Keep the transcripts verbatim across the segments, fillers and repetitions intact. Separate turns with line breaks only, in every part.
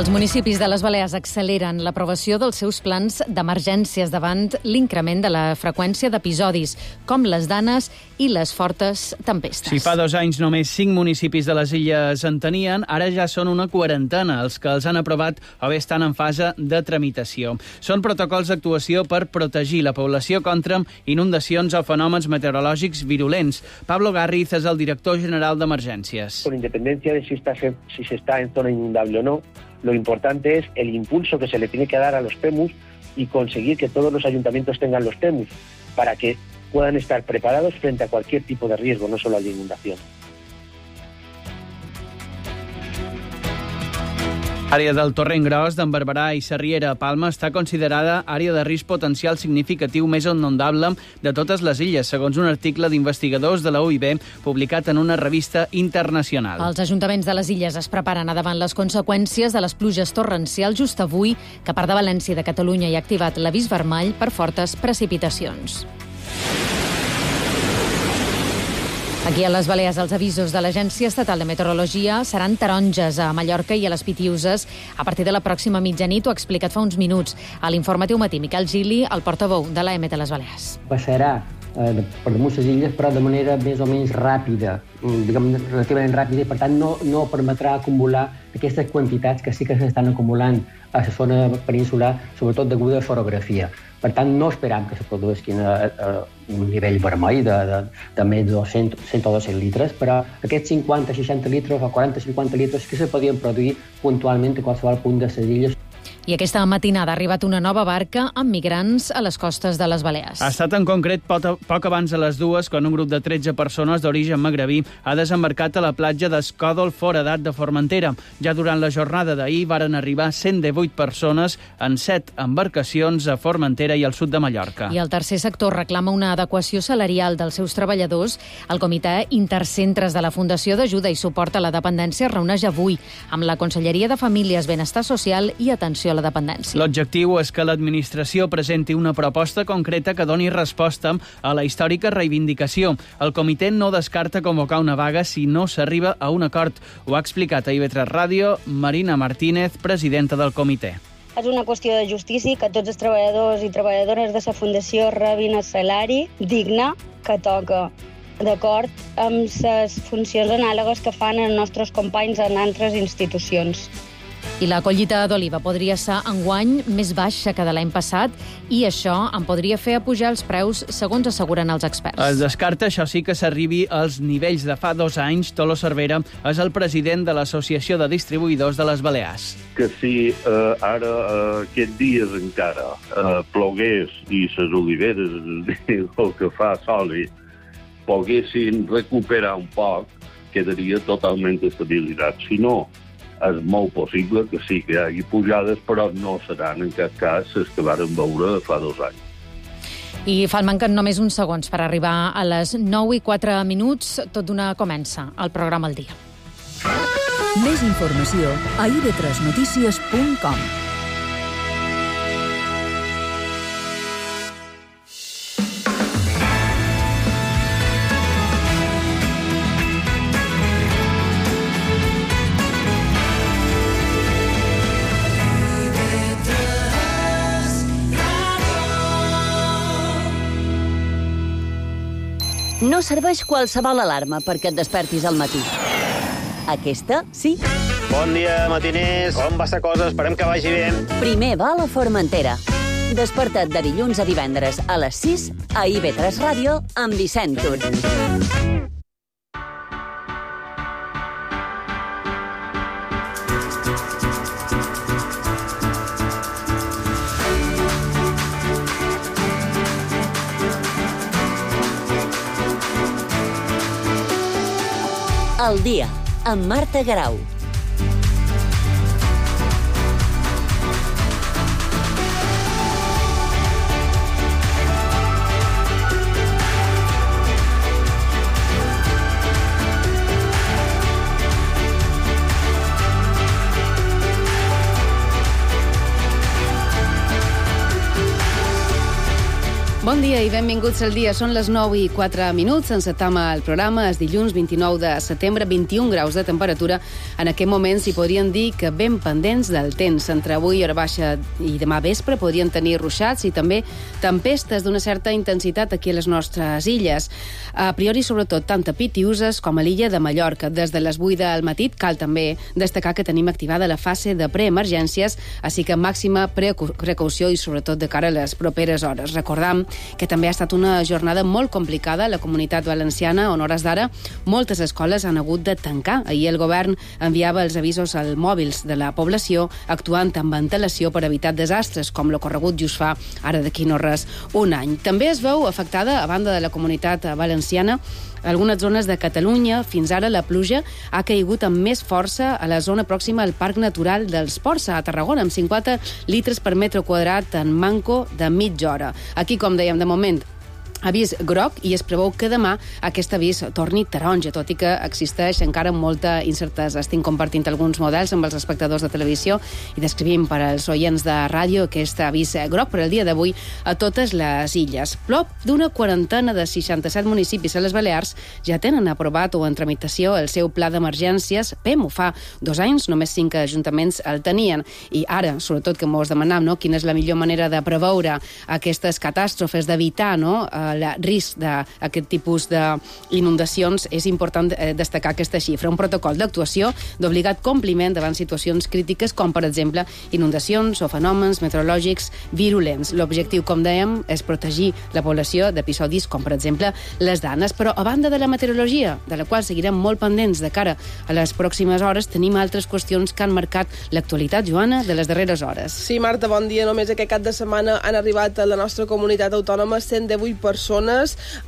Els municipis de les Balears acceleren l'aprovació dels seus plans d'emergències davant l'increment de la freqüència d'episodis, com les danes i les fortes tempestes.
Si fa dos anys només cinc municipis de les illes en tenien, ara ja són una quarantena els que els han aprovat o bé estan en fase de tramitació. Són protocols d'actuació per protegir la població contra inundacions o fenòmens meteorològics virulents. Pablo Garriz és el director general d'Emergències.
Con independencia de si, está, si se está en zona inundable o no, lo importante es el impulso que se le tiene que dar a los P E M Us y conseguir que todos los ayuntamientos tengan los P E M Us para que puedan estar preparados frente a cualquier tipo de riesgo, no solo a la inundación.
L'àrea del Torrent Gros, d'en Barberà i Sarriera a Palma està considerada àrea de risc potencial significatiu més inundable de totes les illes, segons un article d'investigadors de la U I B publicat en una revista internacional.
Els ajuntaments de les illes es preparen a davant les conseqüències de les pluges torrencials just avui, que a part de València i de Catalunya hi ha activat l'avís vermell per fortes precipitacions. Aquí a les Balears els avisos de l'Agència Estatal de Meteorologia seran taronges a Mallorca i a les Pitiüses a partir de la pròxima mitjanit, ho ha explicat fa uns minuts a l'Informatiu Matí Miquel Gili, el portaveu de l'A E M T de les Balears.
Passarà eh, per damunt les illes, però de manera més o menys ràpida, diguem, relativament ràpida, i per tant no, no permetrà acumular aquestes quantitats que sí que s'estan acumulant a la zona peninsular, sobretot deguda a l'orografia. Per tant, no esperam que se produeixin a, a un nivell vermell de, de, de més de cent, cent o dos-cents litres, però aquests cinquanta seixanta litres o quaranta cinquanta litres que se podien produir puntualment a qualsevol punt de les illes.
I aquesta matinada ha arribat una nova barca amb migrants a les costes de les Balears.
Ha estat en concret poc, poc abans de les dues quan un grup de tretze persones d'origen magrebí ha desembarcat a la platja d'Escòdol, Foradat de Formentera. Ja durant la jornada d'ahir varen arribar cent divuit persones en set embarcacions a Formentera i al sud de Mallorca.
I el tercer sector reclama una adequació salarial dels seus treballadors. El Comitè Intercentres de la Fundació d'Ajuda i Suport a la Dependència es reuneix avui amb la Conselleria de Famílies, Benestar Social i Atenció a la Dependència.
L'objectiu és que l'administració presenti una proposta concreta que doni resposta a la històrica reivindicació. El comitè no descarta convocar una vaga si no s'arriba a un acord. Ho ha explicat a I V tres Ràdio Marina Martínez, presidenta del comitè.
És una qüestió de justícia que tots els treballadors i treballadores de la Fundació rebin el salari digne que toca, d'acord amb les funcions anàlogues que fan els nostres companys en altres institucions.
I la collita d'oliva podria ser enguany més baixa que de l'any passat i això en podria fer apujar els preus, segons asseguren els experts.
Es descarta, això sí, que s'arribi als nivells de fa dos anys. Tolo Cervera és el president de l'Associació de Distribuïdors de les Balears.
Que si eh, ara, eh, aquests dies encara, eh, plogués i les oliveres, el que fa soli, poguessin recuperar un poc, quedaria totalment estabilitat. Si no, és molt possible que sí que hi hagi pujades, però no seran en cap cas les que varen veure fa dos anys.
I fan manquen només uns segons per arribar a les nou i quatre minuts. Tot d'una comença el programa al dia.
Més informació a i ve tres notícies punt com.
No serveix qualsevol alarma perquè et despertis al matí. Aquesta, sí.
Bon dia, matiners. Com va la cosa? Esperem que vagi bé.
Primer va a la Formentera. Desperta't de dilluns a divendres a les sis a I ve tres Ràdio amb Vicent Tur. El dia, amb Marta Garau.
Bon
Bon dia i benvinguts al dia. Són les nou i quatre minuts. Encetam el programa. És dilluns vint-i-nou de setembre, vint-i-un graus de temperatura. En aquest moment s'hi podrien dir que ben pendents del temps. Entre avui, hora baixa i demà vespre podrien tenir ruixats i també tempestes d'una certa intensitat aquí a les nostres illes. A priori, sobretot, tant a Pitiuses com a l'illa de Mallorca. Des de les vuit del matí cal també destacar que tenim activada la fase de preemergències, així que màxima precaució i sobretot de cara a les properes hores. Recordam que també ha estat una jornada molt complicada a la Comunitat Valenciana, on hores d'ara moltes escoles han hagut de tancar. Ahir el govern enviava els avisos als mòbils de la població, actuant amb antelació per evitar desastres, com l'ocorregut just fa ara d'aquí no res un any. També es veu afectada, a banda de la Comunitat Valenciana, algunes zones de Catalunya. Fins ara la pluja ha caigut amb més força a la zona pròxima al Parc Natural dels Ports, a Tarragona, amb cinquanta litres per metre quadrat en manco de mitja hora. Aquí, com dèiem, de moment, avís groc i es preveu que demà aquest avís torni taronja, tot i que existeix encara molta incertesa. Estic compartint alguns models amb els espectadors de televisió i descrivim per als oients de ràdio aquest avís groc per al dia d'avui a totes les illes. Prop d'una quarantena de seixanta-set municipis a les Balears ja tenen aprovat o en tramitació el seu pla d'emergències P E M. Ho fa dos anys, només cinc ajuntaments el tenien. I ara, sobretot, que mos demanam, no?, quina és la millor manera de preveure aquestes catàstrofes, d'evitar, no?, el risc d'aquest tipus d'inundacions, és important destacar aquesta xifra. Un protocol d'actuació d'obligat compliment davant situacions crítiques com, per exemple, inundacions o fenòmens meteorològics virulents. L'objectiu, com dèiem, és protegir la població d'episodis com, per exemple, les danes. Però, a banda de la meteorologia, de la qual seguirem molt pendents de cara a les pròximes hores, tenim altres qüestions que han marcat l'actualitat, Joana, de les darreres hores.
Sí, Marta, bon dia. Només aquest cap de setmana han arribat a la nostra comunitat autònoma cent divuit persones.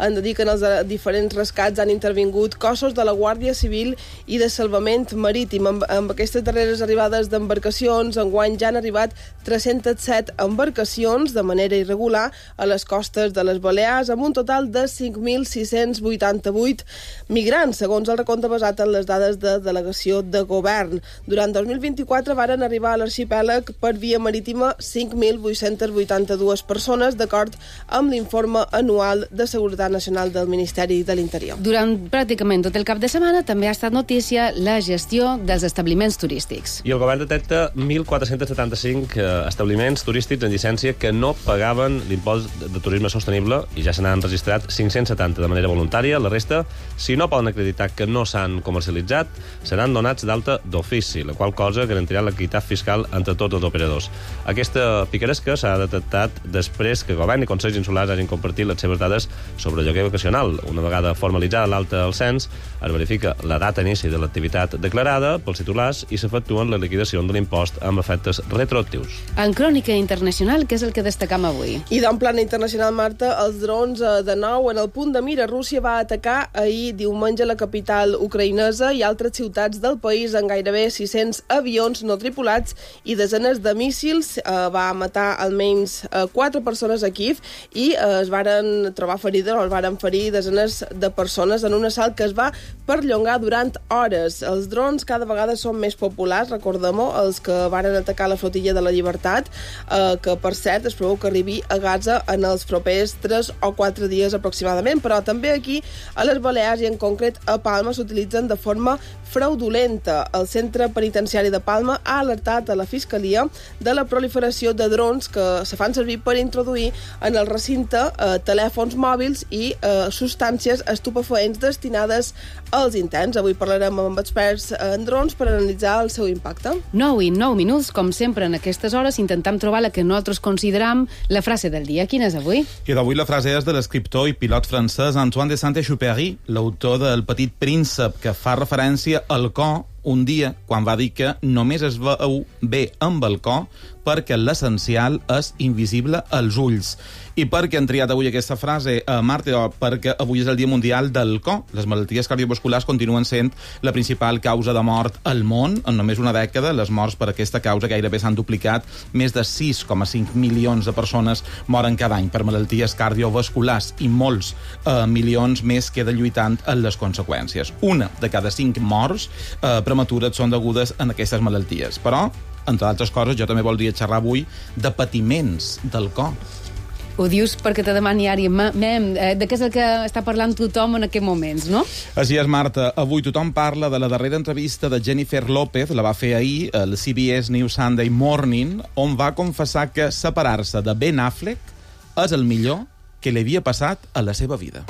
Han de dir que en els diferents rescats han intervingut cossos de la Guàrdia Civil i de Salvament Marítim. Amb, amb aquestes darreres arribades d'embarcacions, enguany ja han arribat tres-centes set embarcacions de manera irregular a les costes de les Balears, amb un total de cinc mil sis-cents vuitanta-vuit migrants, segons el recompte basat en les dades de delegació de govern. Durant dos mil vint-i-quatre varen arribar a l'arxipèlag per via marítima cinc mil vuit-cents vuitanta-dues persones, d'acord amb l'informe anual de Seguretat Nacional del Ministeri de l'Interior.
Durant pràcticament tot el cap de setmana també ha estat notícia la gestió dels establiments turístics.
I el govern detecta mil quatre-cents setanta-cinc establiments turístics en llicència que no pagaven l'impost de turisme sostenible i ja se n'han registrat cinc-cents setanta de manera voluntària. La resta, si no poden acreditar que no s'han comercialitzat, seran donats d'alta d'ofici, la qual cosa garantirà l'equitat fiscal entre tots els operadors. Aquesta picaresca s'ha detectat després que govern i consells insulars hagin compartit les seves dades sobre lloguer vacacional. Una vegada formalitzada l'alta al cens, es verifica la data d'inici de l'activitat declarada pels titulars i s'efectuen la liquidació de l'impost amb efectes retroactius.
En crònica internacional, què és el que destacam avui?
I d'en plana internacional, Marta, els drons de nou en el punt de mira. Rússia va atacar ahir diumenge la capital ucraïnesa i altres ciutats del país en gairebé sis-cents avions no tripulats i desenes de míssils. Eh, va matar almenys eh, quatre persones a Kíev i eh, es varen trobar ferides o es varen ferir desenes de persones en un assalt que es va perllongar durant hores. Els drons cada vegada són més populars, recordem-ho, els que varen atacar la flotilla de la Llibertat, eh, que per cert es preveu que arribi a Gaza en els propers tres o quatre dies aproximadament, però també aquí a les Balears i en concret a Palma s'utilitzen de forma fraudulenta. El centre penitenciari de Palma ha alertat a la Fiscalia de la proliferació de drons que se fan servir per introduir en el recinte eh, telèfons mòbils i eh, substàncies estupefaents destinades als interns. Avui parlarem amb experts en drons per analitzar el seu impacte.
nou i nou minuts, com sempre en aquestes hores, intentam trobar la que nosaltres consideram la frase del dia. Quina és avui?
I d'avui la frase és de l'escriptor i pilot francès Antoine de Saint-Exupéry, l'autor del Petit Príncep, que fa referència al cor un dia quan va dir que només es veu bé amb el cor perquè l'essencial és invisible als ulls. I per què han triat avui aquesta frase, eh, Marta? Perquè avui és el Dia Mundial del Cor. Les malalties cardiovasculars continuen sent la principal causa de mort al món. En només una dècada, les morts per aquesta causa gairebé s'han duplicat. Més de sis coma cinc milions de persones moren cada any per malalties cardiovasculars i molts eh, milions més queden lluitant en les conseqüències. Una de cada cinc morts eh, prematures són degudes a aquestes malalties. Però, entre altres coses, jo també voldria xerrar avui de patiments del cor.
Ho dius perquè te demani ara, mem, de què és el que està parlant tothom en aquests moments, no?
Així és, Marta. Avui tothom parla de la darrera entrevista de Jennifer López, la va fer ahir, al C B S News Sunday Morning, on va confessar que separar-se de Ben Affleck és el millor que li havia passat a la seva vida.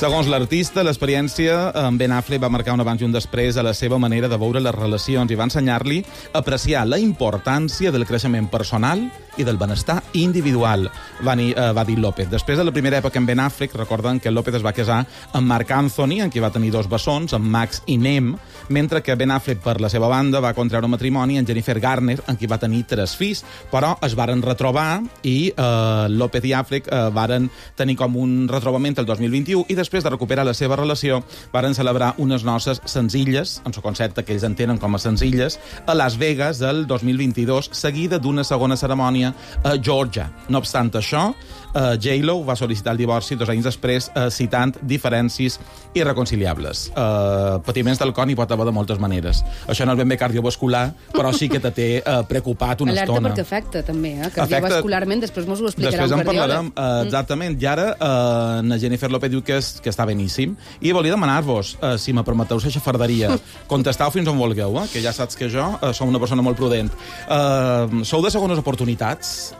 Segons l'artista, l'experiència amb Ben Affleck va marcar un abans i un després a la seva manera de veure les relacions i va ensenyar-li a apreciar la importància del creixement personal i del benestar individual, va dir, uh, va dir López. Després de la primera època amb Ben Affleck, recorden que López es va casar amb Marc Anthony, en qui va tenir dos bessons, amb Max i Nem, mentre que Ben Affleck, per la seva banda, va contraure matrimoni amb Jennifer Garner, en qui va tenir tres fills, però es varen retrobar i uh, López i Affleck uh, varen tenir com un retrobament el dos mil vint-i-u i després de recuperar la seva relació varen celebrar unes noces senzilles, en el concepte que ells entenen com a senzilles, a Las Vegas el dos mil vint-i-dos, seguida d'una segona cerimònia a Georgia. No obstant això, uh, J-Lo va sol·licitar el divorci dos anys després, uh, citant diferències irreconciliables. Uh, patiments del cor n'hi pot haver de moltes maneres. Això no és ben bé cardiovascular, però sí que te té uh, preocupat una
Alerta
estona.
Alerta perquè afecta, també, eh? Cardiovascularment, després mos ho explicarà
després
un cardiòleg.
Després en parlarem, uh, exactament. I ara uh, na Jennifer López diu que, és, que està beníssim. I volia demanar-vos, uh, si me permeteu la xafarderia, contestau fins on vulgueu, eh? Que ja saps que jo uh, som una persona molt prudent. Uh, sou de segones oportunitats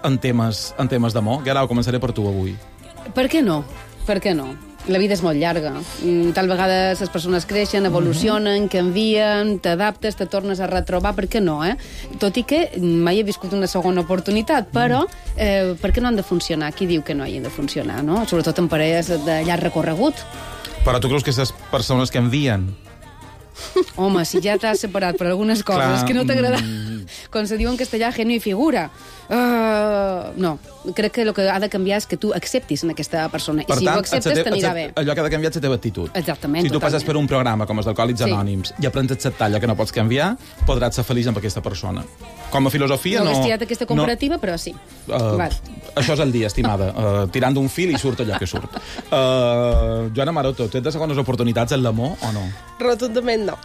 en temes, en temes d'amor? Guerau, començaré per tu avui.
Per què no? Per què no? La vida és molt llarga. Tal vegada les persones creixen, evolucionen, canvien, t'adaptes, te tornes a retrobar, per què no, eh? Tot i que mai he viscut una segona oportunitat, però eh, per què no han de funcionar? Qui diu que no hagin de funcionar, no? Sobretot en parelles de llarg recorregut.
Però tu creus que aquestes persones que envien...
Home, si ja t'has separat per algunes coses Clar, que no t'agrada, mm... com se diu en castellà, genio i figura. Uh, no, crec que el que ha de canviar és que tu acceptis en aquesta persona. Per I si tant, ho acceptes, te, t'anirà bé.
Allò que ha de canviar és la teva actitud.
Exactament.
Si tu
totalment.
passes per un programa com els d'Alcohòlics sí. Anònims i aprens a acceptar allò que no pots canviar, podràs ser feliç amb aquesta persona. Com a filosofia,
no...
No
he estirat aquesta comparativa, no... però sí.
Uh, això és el dia, estimada. Uh, tirant d'un fil i surt allò que surt. Uh, Joana Maroto, tu ets de segones oportunitats en l'amor o no?
Rotundament no.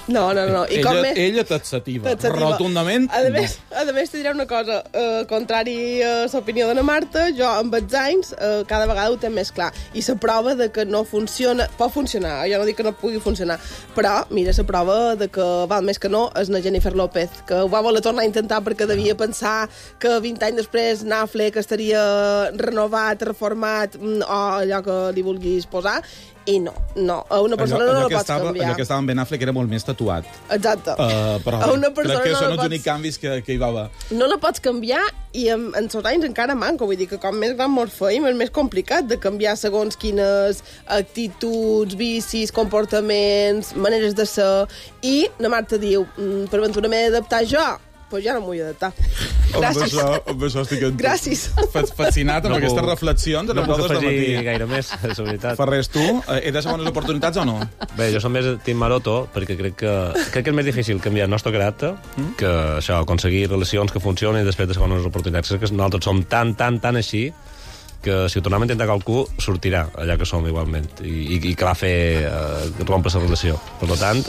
No, no, no. I
ella,
com més...
ella t'atsativa. Rotundament,
a més, no. A més, te diré una cosa. Uh, contrari a l'opinió de la Marta, jo amb els anys uh, cada vegada ho té més clar. I la prova de que no funciona... Pot funcionar, jo no dic que no pugui funcionar, però, mira, la prova de que val més que no és la Jennifer López, que ho va voler tornar a intentar perquè devia pensar que vint anys després Affleck estaria renovat, reformat, o allò que li vulguis posar, i no, no. A una persona allò, no la pots
estava,
canviar.
Allò que estava en Ben Affleck era molt més tatuat.
Exacte.
Uh, però
a una persona
crec que
no
són
la
els
pots...
únics canvis que, que hi va haver.
No la pots canviar i en, en els anys encara manco. Vull dir que com més gran mos feim és més complicat de canviar segons quines actituds, vicis, comportaments, maneres de ser. I la Marta diu, per aventura m'he d'adaptar jo. Pues ja no m'ho vull adaptar. Gràcies.
Amb això, amb això estic en
Gràcies.
fascinat amb no aquestes puc, reflexions.
No puc afegir gaire més, és veritat.
Ferrés, tu, ets de segones oportunitats o no?
Bé, jo som més Team Maroto, perquè crec que, crec que és més difícil canviar el nostre caràcter mm? que això, aconseguir relacions que funcionin després de segones oportunitats. Crec que nosaltres som tan, tan, tan així que si ho tornem a intentar qualcú, sortirà allà que som igualment i, i, i que va fer eh, rompre la relació. Per tant,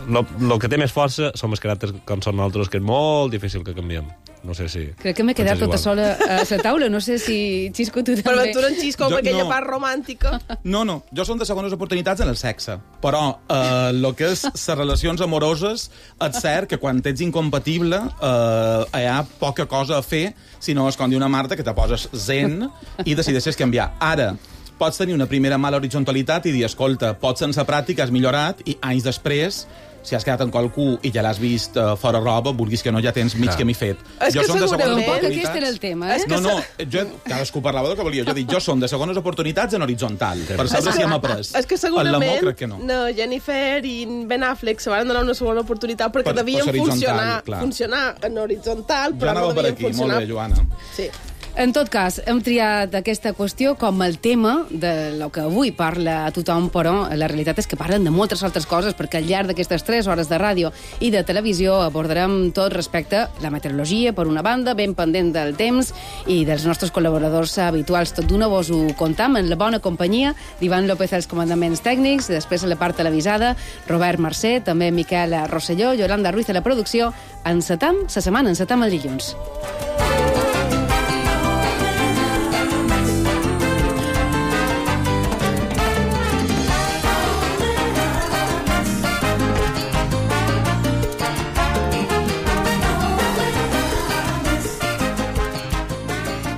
el que té més força són els caràcters com són nosaltres, que és molt difícil que canviem. No sé si...
Crec que m'he quedat tota sola a la taula. No sé si Xisco tu també...
Per aventura en Xisco,
jo,
per aquella
no.
part romàntica.
No, no. Jo som de segones oportunitats en el sexe. Però eh, el que és les relacions amoroses, és cert que quan ets incompatible eh, hi ha poca cosa a fer, si no és com diu una Marta, que te poses zen i decideixes canviar. Ara, pots tenir una primera mala horizontalitat i dir, escolta, pots sense pràctica, has millorat, i anys després, si has quedat amb qualcú i ja l'has vist uh, fora roba, vulguis que no, ja tens mig camí fet.
És
jo
que
som de segones
oportunitats... Aquest era el tema, eh?
No, no, jo, cadascú parlava del que volia. Jo dic, jo som de segones oportunitats en horitzontal, per saber si hem après.
És que segurament
crec que no.
no, Jennifer i Ben Affleck se van donar una segona oportunitat perquè
per,
devien
per
funcionar,
clar.
funcionar en horitzontal, però
jo
no devien
per aquí.
funcionar.
Molt bé, Joana.
Sí.
En tot cas, hem triat aquesta qüestió com el tema de lo que avui parla a tothom, però la realitat és que parlen de moltes altres coses, perquè al llarg d'aquestes tres hores de ràdio i de televisió abordarem tot respecte a la meteorologia, per una banda, ben pendent del temps i dels nostres col·laboradors habituals. Tot d'una vos ho contam en la bona companyia d'Ivan López als comandaments tècnics, després a la part televisada, Robert Mercè, també Miquel Rosselló, Yolanda Ruiz a la producció. Encetam la setmana, encetam el dilluns.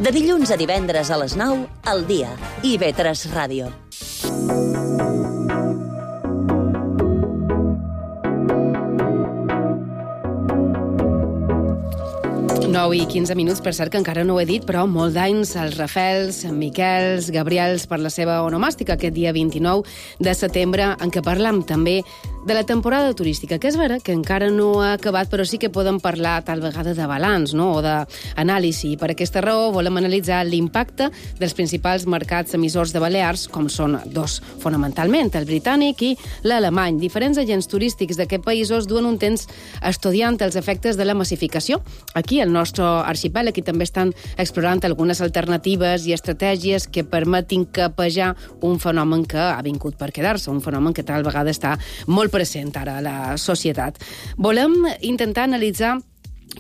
De dilluns a divendres a les nou, al dia. I ve tres Ràdio.
nou i quinze minuts, per cert que encara no ho he dit, però molt d'anys als Rafels, Miquels, Gabriels per la seva onomàstica aquest dia vint-i-nou de setembre, en què parlam també de la temporada turística, que és vera que encara no ha acabat, però sí que podem parlar tal vegada de balanç, no?, o d'anàlisi. Per aquesta raó volem analitzar l'impacte dels principals mercats emissors de Balears, com són dos, fonamentalment, el britànic i l'alemany. Diferents agents turístics d'aquests països duen un temps estudiant els efectes de la massificació. Aquí, al nostre arxipèlag, i també estan explorant algunes alternatives i estratègies que permetin capejar un fenomen que ha vingut per quedar-se, un fenomen que tal vegada està molt present ara a la societat. Volem intentar analitzar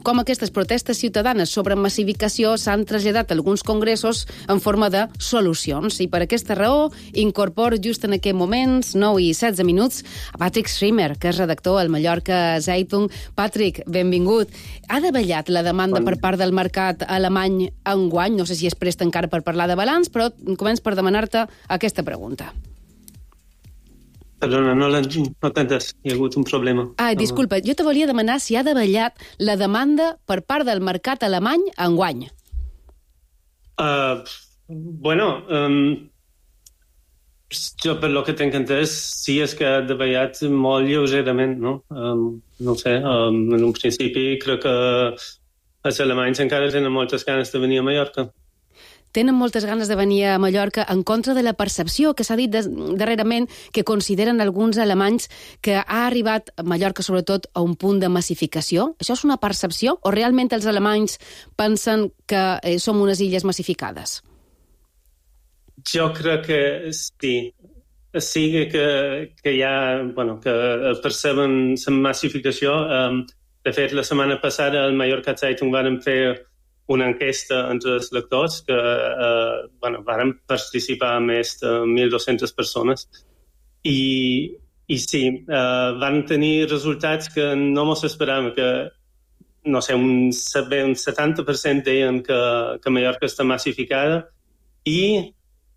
com aquestes protestes ciutadanes sobre massificació s'han traslladat a alguns congressos en forma de solucions. I per aquesta raó incorporo just en aquests moments, nou i setze minuts, a Patrick Schremer, que és redactor al Mallorca Zeitung. Patrick, benvingut. Ha davallat la demanda per part del mercat alemany enguany? No sé si és prest encara per parlar de balanç, però començo per demanar-te aquesta pregunta.
Perdona, no t'he entès. Hi ha hagut un problema.
Ah, disculpa, jo te volia demanar si ha davallat la demanda per part del mercat alemany enguany.
Uh, bueno, um, jo per lo que tinc entès, sí és que ha davallat molt lleugerament, no? Um, no sé, um, en un principi crec que els alemanys encara tenen moltes ganes de venir a Mallorca.
Tenen moltes ganes de venir a Mallorca en contra de la percepció que s'ha dit darrerament que consideren alguns alemanys que ha arribat a Mallorca sobretot a un punt de massificació. Això és una percepció o realment els alemanys pensen que eh, som unes illes massificades?
Jo crec que sí. Sí que, que hi ha, bueno, que perceben la massificació. Um, de fet, la setmana passada al Mallorca Zeitung van fer una enquesta entre els lectors que eh, bueno, van participar més de mil dues-centes persones i, i sí, eh, van tenir resultats que no mos esperàvem, que no sé, un, un setanta per cent deien que, que Mallorca està massificada i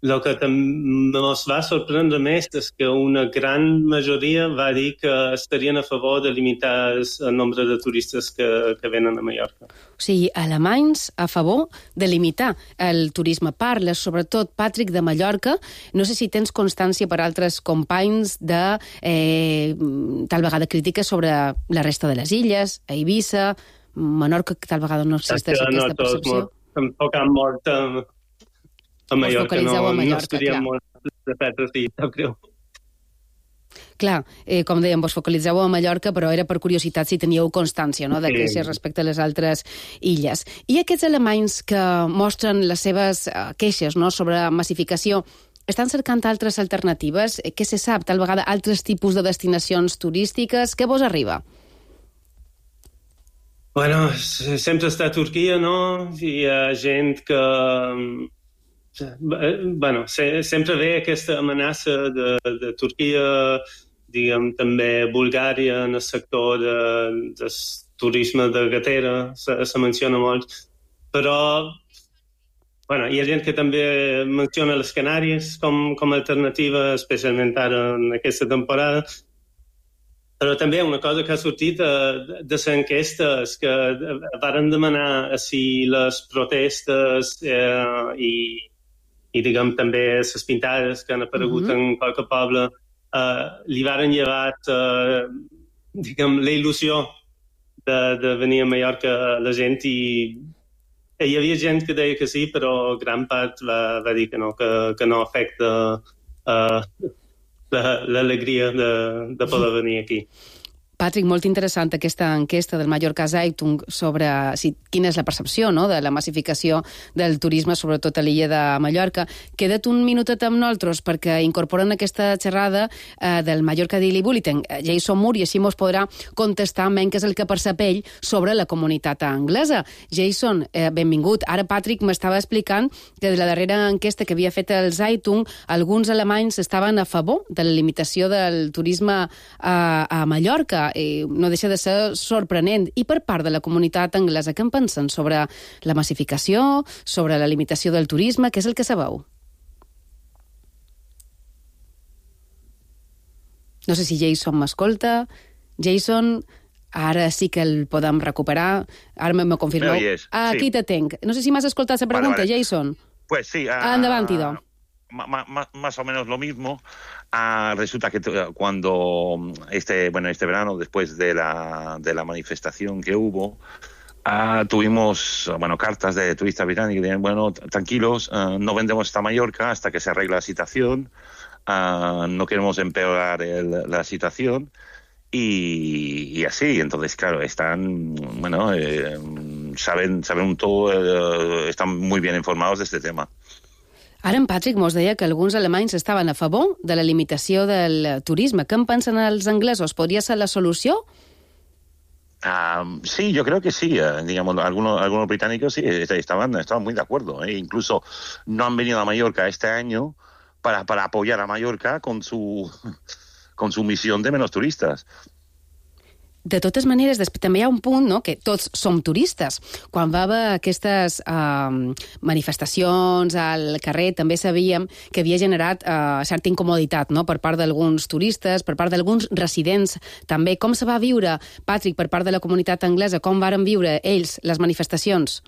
el que també ens va sorprendre més és que una gran majoria va dir que estarien a favor de limitar el nombre de turistes que, que venen a Mallorca.
O sigui, alemanys a favor de limitar el turisme. Parles, sobretot, Patrick, de Mallorca. No sé si tens constància per altres companys de eh, tal vegada crítiques sobre la resta de les illes, a Eivissa, Menorca, que tal vegada no existeix aquesta percepció.
Tampoc ha mort a, a Mallorca, no,
a Mallorca,
no estaríem molt de Petra, sí, no creu.
Clar, eh, com dèiem, vos focalitzeu a Mallorca, però era per curiositat si teníeu constància, no?, de
Sí.
queixes respecte a les altres illes. I aquests alemanys que mostren les seves eh, queixes, no?, sobre massificació, estan cercant altres alternatives? Eh, Què se sap? Tal vegada altres tipus de destinacions turístiques? Què vos arriba?
Bueno, s- sempre està a Turquia, no? Hi ha gent que... mm, eh, Bueno, se, sempre ve aquesta amenaça de, de Turquia, diguem, també Bulgària en el sector de, del turisme de gatera, se, se menciona molt, però bueno, hi ha gent que també menciona les Canàries com, com a alternativa, especialment ara en aquesta temporada. Però també una cosa que ha sortit de, de l'enquesta és que varen demanar si les protestes eh, i, i diguem, també les pintades que han aparegut
Mhm.
en qualque poble eh, li varen llevar eh, diguem, la il·lusió de, de venir a Mallorca a la gent i hi havia gent que deia que sí, però gran part va, va dir que no, que, que no afecta uh, l'alegria de, de poder venir aquí.
Patrick, molt interessant aquesta enquesta del Mallorca Zeitung sobre si, quina és la percepció, no?, de la massificació del turisme, sobretot a l'illa de Mallorca. Queda't un minutet amb nosaltres perquè incorporen aquesta xerrada eh, del Mallorca Daily Bulletin. Jason Moore, i així mos podrà contestar menys què és el que percep ell sobre la comunitat anglesa. Jason, eh, benvingut. Ara Patrick m'estava explicant que de la darrera enquesta que havia fet el Zeitung, alguns alemanys estaven a favor de la limitació del turisme a, a Mallorca. Eh, no deixa de ser sorprenent. I per part de la comunitat anglesa, què en pensen sobre la massificació, sobre la limitació del turisme? Què és el que sabeu? No sé si Jason m'escolta. Jason, ara sí que el podem recuperar. Ara me confirmeu. Ah, aquí sí. Te tenc. No sé si m'has escoltat la pregunta, vale, vale. Jason.
Pues sí. Uh,
Endavant, Ido.
Más o menos lo mismo. Ah, resulta que cuando este bueno este verano, después de la de la manifestación que hubo, ah, tuvimos bueno cartas de turistas británicos que decían, bueno, tranquilos, ah, no vendemos esta Mallorca hasta que se arregle la situación, ah, no queremos empeorar el, la situación. Y, y así, entonces, claro, están, bueno, eh, saben, saben todo, eh, están muy bien informados de este tema.
Ara en Patrick mos deia que alguns alemanys estaven a favor de la limitació del turisme. Què en pensen els anglesos? ¿Podria ser la solució?
Uh, sí, yo creo que sí. Uh, digamos, algunos, algunos británicos sí estaban, estaban muy de acuerdo. ¿eh? Incluso no han venido a Mallorca este año para, para apoyar a Mallorca con su, con su misión de menos turistas.
De totes maneres, també hi ha un punt, no?, que tots som turistes. Quan va haver aquestes uh, manifestacions al carrer, també sabíem que havia generat uh, certa incomoditat, no?, per part d'alguns turistes, per part d'alguns residents també. Com se va viure, Patrick, per part de la comunitat anglesa? Com varen viure ells les manifestacions?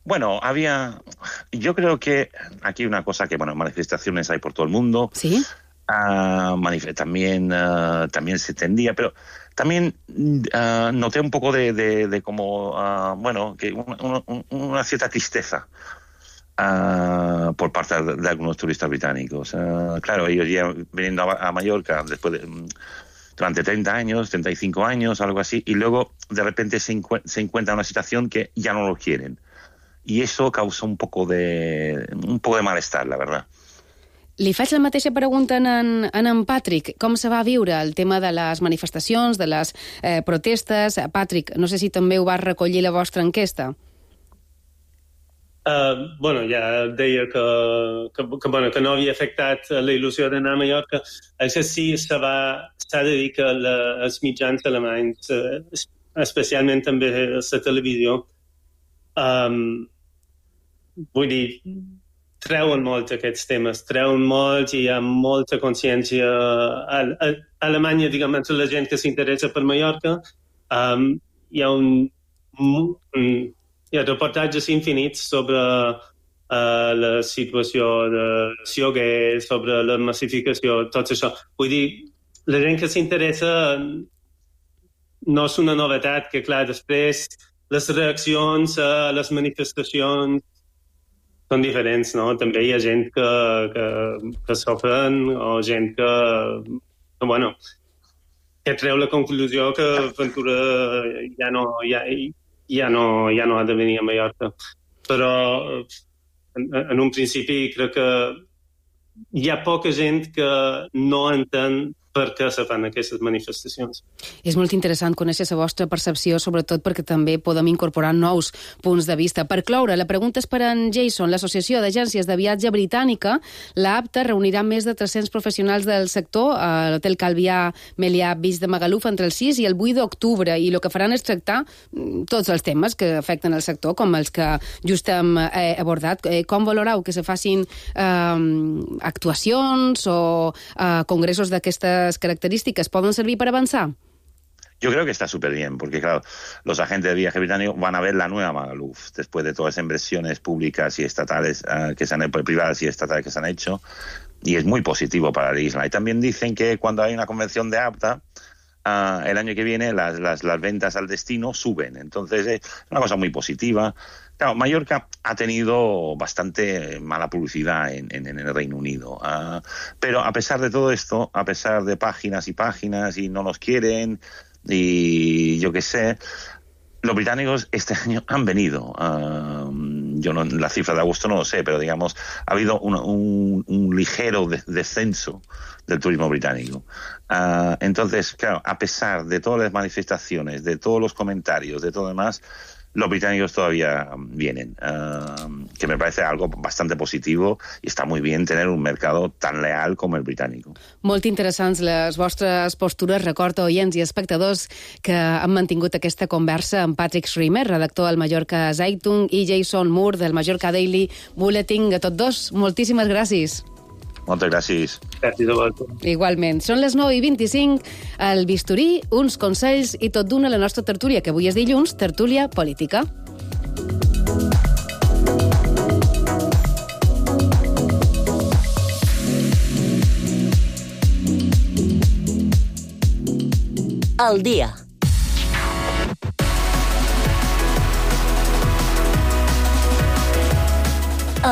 Bueno, había... Yo creo que aquí una cosa que, bueno, manifestaciones hay por todo el mundo.
Sí.
Uh, manif- también, uh, también se tendía, pero también uh, noté un poco de, de, de como, uh, bueno, que una, una, una cierta tristeza uh, por parte de, de algunos turistas británicos. Uh, claro, ellos ya viniendo a, a Mallorca después de, durante treinta años, treinta y cinco años, algo así, y luego de repente se, encu- se encuentra en una situación que ya no lo quieren. Y eso causó un poco de, un poco de malestar, la verdad.
Li faig la mateixa pregunta en en, en en Patrick. Com se va viure el tema de les manifestacions, de les eh, protestes? Patrick, no sé si també ho vas recollir la vostra enquesta.
Uh, bueno, ja deia que, que, que, bueno, que no havia afectat la il·lusió d'anar a Mallorca. Això sí, s'ha de dir que la, els mitjans alemanys, eh, especialment també la televisió, um, vull dir, treuen molt aquests temes, treuen molt i hi ha molta consciència a, a, a Alemanya, diguem, entre la gent que s'interessa per Mallorca. Um, hi ha un, un hi ha reportatges infinits sobre uh, la situació de lloguer, sobre la massificació, tot això. Vull dir, la gent que s'interessa no és una novetat, que clar, després les reaccions a les manifestacions són diferents, no? També hi ha gent que, que, que s'ofren o gent que, que, bueno, que treu la conclusió que Ventura ja no, ja, ja no, ja no ha de venir a Mallorca. Però en, en un principi crec que hi ha poca gent que no entén per què se fan aquestes manifestacions.
És molt interessant conèixer la vostra percepció, sobretot perquè també podem incorporar nous punts de vista. Per cloure, la pregunta és per en Jason. L'Associació d'Agències de Viatge Britànica, l'APTA, reunirà més de tres-cents professionals del sector a l'Hotel Calvià Melià Beach de Magaluf entre el sis i el vuit d'octubre, i el que faran és tractar tots els temes que afecten el sector, com els que just hem eh, abordat. Eh, com valoreu que se facin eh, actuacions o eh, congressos d'aquestes características? ¿Pueden servir para avanzar?
Yo creo que está súper bien, porque claro, los agentes de viaje británicos van a ver la nueva Magaluf después de todas las inversiones públicas y estatales uh, que se han hecho, privadas y estatales que se han hecho, y es muy positivo para la isla. Y también dicen que cuando hay una convención de APTA, uh, el año que viene las, las, las ventas al destino suben. Entonces es una cosa muy positiva. Claro, Mallorca ha tenido bastante mala publicidad en, en, en el Reino Unido, uh, pero a pesar de todo esto, a pesar de páginas y páginas y no nos quieren y yo qué sé, los británicos este año han venido. Uh, yo no, la cifra de agosto no lo sé, pero digamos, ha habido un, un, un ligero de, descenso del turismo británico. Uh, entonces, claro, a pesar de todas las manifestaciones, de todos los comentarios, de todo demás, los británicos todavía vienen, uh, que me parece algo bastante positivo i està molt bé tener un mercado tan leal com el britànic.
Molt interessants les vostres postures. Recordo, oients i espectadors, que han mantingut aquesta conversa amb Patrick Schremer, redactor del Mallorca Zeitung, i Jason Moore, del Mallorca Daily Bulletin. A tots dos, moltíssimes gràcies.
Moltes gràcies.
Gràcies a vosaltres.
Igualment. Són les nou i vint-i-cinc, el bisturí, uns consells i tot d'una la nostra tertúlia, que avui és dilluns, tertúlia política.
Al dia.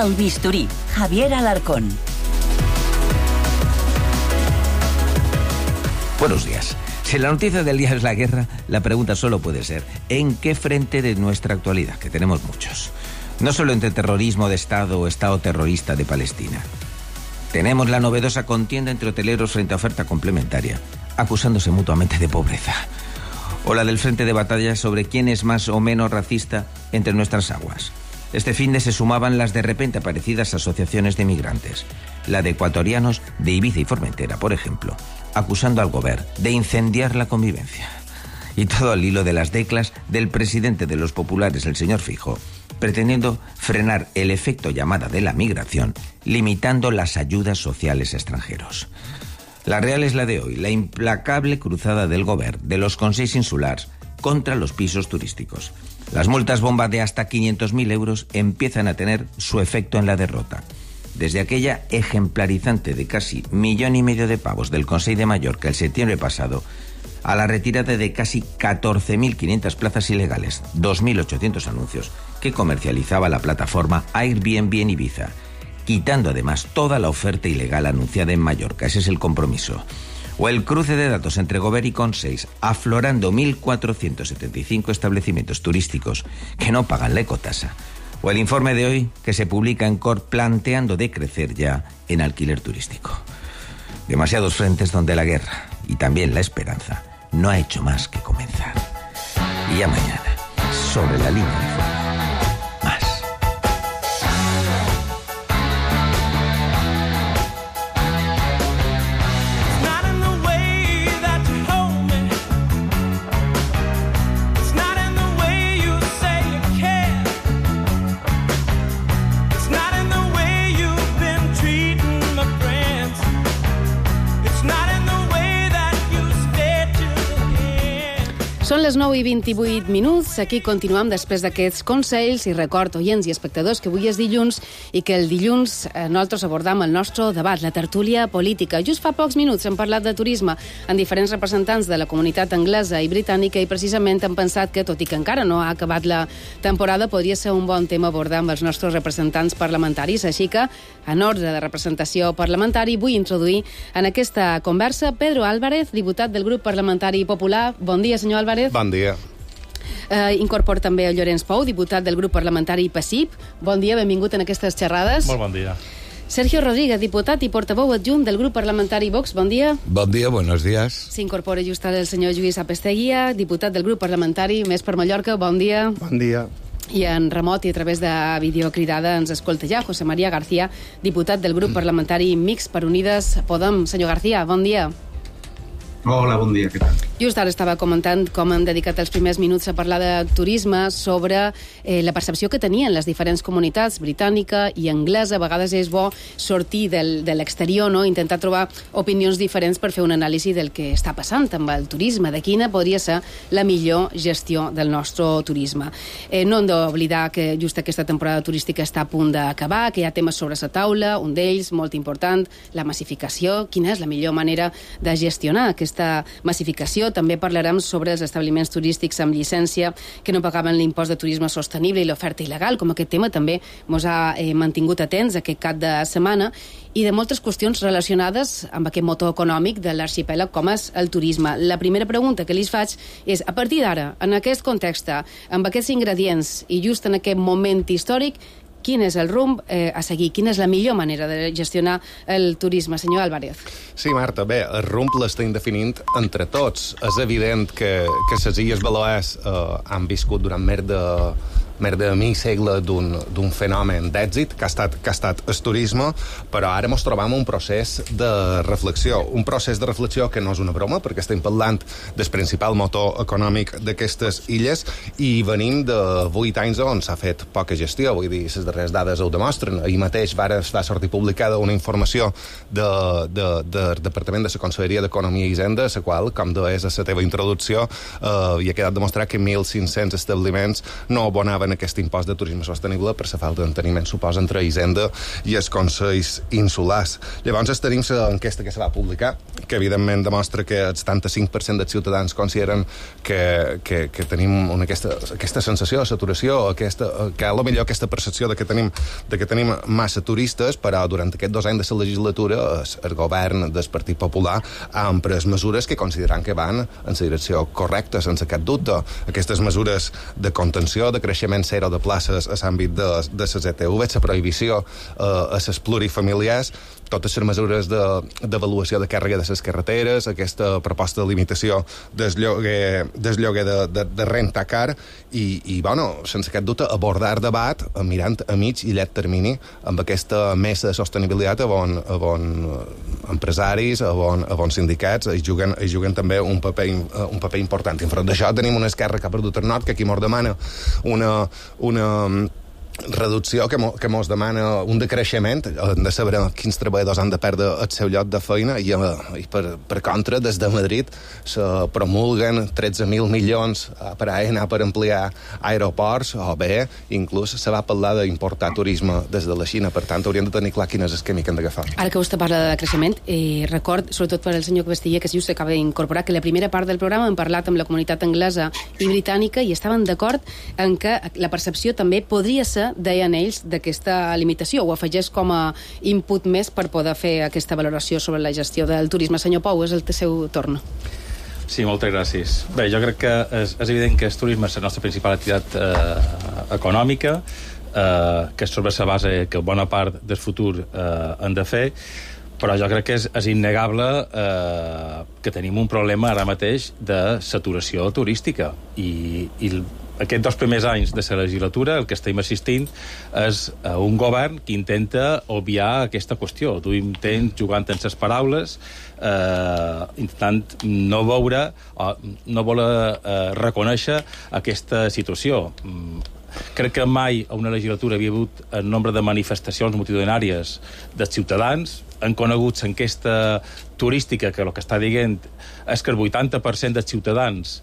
El bisturí, Javier Alarcón.
Buenos días. Si la noticia del día es la guerra, la pregunta solo puede ser ¿en qué frente de nuestra actualidad? Que tenemos muchos. No solo entre terrorismo de Estado o Estado terrorista de Palestina. Tenemos la novedosa contienda entre hoteleros frente a oferta complementaria, acusándose mutuamente de pobreza. O la del frente de batalla sobre quién es más o menos racista entre nuestras aguas. Este finde se sumaban las de repente aparecidas asociaciones de migrantes. La de ecuatorianos de Ibiza y Formentera, por ejemplo, acusando al gobierno de incendiar la convivencia. Y todo al hilo de las declas del presidente de los populares, el señor Feijóo, pretendiendo frenar el efecto llamada de la migración, limitando las ayudas sociales a extranjeros. La real es la de hoy, la implacable cruzada del gobierno de los consells insulars contra los pisos turísticos. Las multas bomba de hasta quinientos mil euros empiezan a tener su efecto en la derrota. Desde aquella ejemplarizante de casi millón y medio de pavos del Consell de Mallorca el septiembre pasado, a la retirada de casi catorce mil quinientas plazas ilegales, dos mil ochocientos anuncios que comercializaba la plataforma Airbnb en Ibiza, quitando además toda la oferta ilegal anunciada en Mallorca. Ese es el compromiso. O el cruce de datos entre Govern y Consells, aflorando mil cuatrocientos setenta y cinco establecimientos turísticos que no pagan la ecotasa. O el informe de hoy que se publica en C O R planteando decrecer ya en alquiler turístico. Demasiados frentes donde la guerra y también la esperanza no ha hecho más que comenzar. Y ya mañana, sobre la línea de fuego.
Són les nou i vint-i-vuit minuts. Aquí continuem després d'aquests consells i record, oients i espectadors, que avui és dilluns i que el dilluns eh, nosaltres abordam el nostre debat, la tertúlia política. Just fa pocs minuts hem parlat de turisme amb diferents representants de la comunitat anglesa i britànica i precisament hem pensat que, tot i que encara no ha acabat la temporada, podria ser un bon tema abordar amb els nostres representants parlamentaris. Així que, en ordre de representació parlamentari, vull introduir en aquesta conversa Pedro Álvarez, diputat del grup parlamentari popular. Bon dia, senyor Álvarez.
Bon dia.
Eh, incorpora també el Llorenç Pou, diputat del grup parlamentari PASIP. Bon dia, benvingut en aquestes xerrades.
Molt bon dia.
Sergio Rodríguez, diputat i portaveu adjunt del grup parlamentari Vox. Bon dia.
Bon dia, buenos días.
S'incorpora just ara el senyor Lluís Apesteguia, diputat del grup parlamentari Més per Mallorca. Bon dia.
Bon dia.
I en remot i a través de videocridada ens escolta ja José María García, diputat del grup parlamentari Mixt per Unides Podem. Senyor García, bon dia.
Hola, bon dia, què tal?
Just ara estava comentant com han dedicat els primers minuts a parlar de turisme, sobre eh, la percepció que tenien les diferents comunitats, britànica i anglesa. A vegades és bo sortir del, de l'exterior, no? Intentar trobar opinions diferents per fer un anàlisi del que està passant amb el turisme, de quina podria ser la millor gestió del nostre turisme. Eh, no hem d'oblidar que just aquesta temporada turística està a punt d'acabar, que hi ha temes sobre la taula, un d'ells, molt important, la massificació. Quina és la millor manera de gestionar aquesta massificació informació també parlarem sobre els establiments turístics amb llicència que no pagaven l'impost de turisme sostenible i l'oferta il·legal, com aquest tema també ens ha eh, mantingut atents aquest cap de setmana, i de moltes qüestions relacionades amb aquest motor econòmic de l'arxipèlag com és el turisme. La primera pregunta que li faig és, a partir d'ara, en aquest context, amb aquests ingredients i just en aquest moment històric, quin és el rumb eh, a seguir? Quina és la millor manera de gestionar el turisme? Senyor Álvarez.
Sí, Marta, bé, el rumb l'estem definint entre tots. És evident que, que les Illes Balears eh, han viscut durant més de més de mig segle d'un fenomen d'èxit que ha estat, que ha estat el turisme, però ara ens trobam un procés de reflexió, un procés de reflexió que no és una broma, perquè estem parlant del principal motor econòmic d'aquestes illes i venim de vuit anys on s'ha fet poca gestió, vull dir, les darreres dades ho demostren. Ahir mateix va, va sortir publicada una informació de, de, de, del Departament de la Conselleria d'Economia i Hisenda, la qual, com deies a la teva introducció, eh, hi ha quedat demostrat que mil cinc-cents establiments no abonaven aquest impost de turisme sostenible per la falta d'enteniment, suposa, entre Hisenda i els Consells Insulars. Llavors tenim l'enquesta que se va publicar, que evidentment demostra que el setanta-cinc per cent dels ciutadans consideren que, que, que tenim una, aquesta, aquesta sensació de saturació, aquesta, que a lo millor aquesta percepció de que tenim, de que tenim massa turistes, però durant aquests dos anys de la legislatura el, el govern del Partit Popular ha emprès mesures que consideran que van en la direcció correcta, sense cap dubte. Aquestes mesures de contenció, de creixement zero de places a l'àmbit de, de les E T V, la prohibició eh, a les plurifamiliars, totes les mesures d'avaluació de, de càrrega de les carreteres, aquesta proposta de limitació del lloguer, del lloguer de, de, de renta car i, i, bueno, sense cap dubte, abordar debat mirant a mig i llarg termini amb aquesta mesa de sostenibilitat on, on empresaris, on, on sindicats hi juguen, hi juguen també un paper, un paper important. I enfront d'això tenim una esquerra que ha perdut el nord, que aquí mos demana una, una reducció que, mo, que mos demana un decreixement, hem de saber quins treballadors han de perdre el seu lloc de feina i, i per, per contra, des de Madrid se promulguen tretze mil milions per a anar per ampliar aeroports, o bé, inclús se va parlar d'importar turisme des de la Xina, per tant hauríem de tenir clar quin és el camí que hem d'agafar.
Ara que vostè parla de creixement, eh, record, sobretot per al senyor Castilla, que just s'acaba d'incorporar, que la primera part del programa hem parlat amb la comunitat anglesa i britànica i estaven d'acord en que la percepció també podria ser, deien ells, d'aquesta limitació. Ho afegeix com a input més per poder fer aquesta valoració sobre la gestió del turisme. Senyor Pou, és el seu torn.
Sí, moltes gràcies. Bé, jo crec que és, és evident que el turisme és la nostra principal activitat eh, econòmica, eh, que és sobre la base que bona part del futur eh, han de fer, però jo crec que és, és innegable eh, que tenim un problema ara mateix de saturació turística i, i aquests dos primers anys de la legislatura el que estem assistint és a un govern que intenta obviar aquesta qüestió. Tu intents jugant en les paraules, eh, intentant no veure o no voler eh, reconèixer aquesta situació. Crec que mai a una legislatura havia hagut el nombre de manifestacions multitudinàries dels ciutadans. Han conegut l'enquesta turística que el que està dient és que el vuitanta per cent dels ciutadans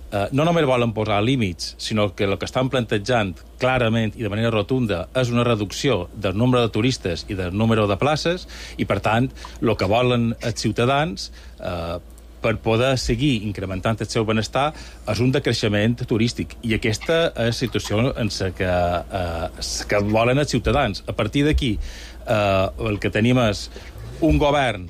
Uh, no només volen posar límits, sinó que el que estan plantejant clarament i de manera rotunda és una reducció del nombre de turistes i del número de places i, per tant, el que volen els ciutadans uh, per poder seguir incrementant el seu benestar és un decreixement turístic. I aquesta és la situació en la que, uh, que volen els ciutadans. A partir d'aquí, uh, el que tenim és un govern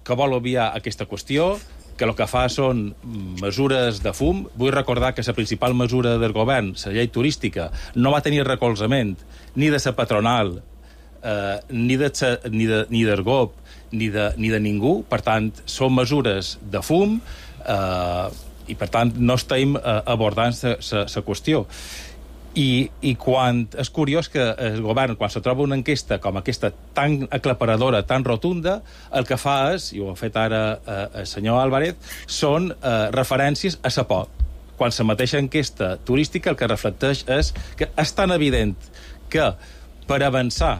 que vol obviar aquesta qüestió, que el que fa són mesures de fum. Vull recordar que la principal mesura del govern, la llei turística, no va tenir recolzament ni de la patronal, eh, ni, de sa, ni, de, ni del G O P, ni de, ni de ningú. Per tant, són mesures de fum eh, i, per tant, no estem eh, abordant la qüestió. I, i quan és curiós que el govern, quan se troba una enquesta com aquesta tan aclaparadora, tan rotunda, el que fa és, i ho ha fet ara eh, el senyor Álvarez, són eh, referències a la por. Quan la mateixa enquesta turística el que reflecteix és que és tan evident que per avançar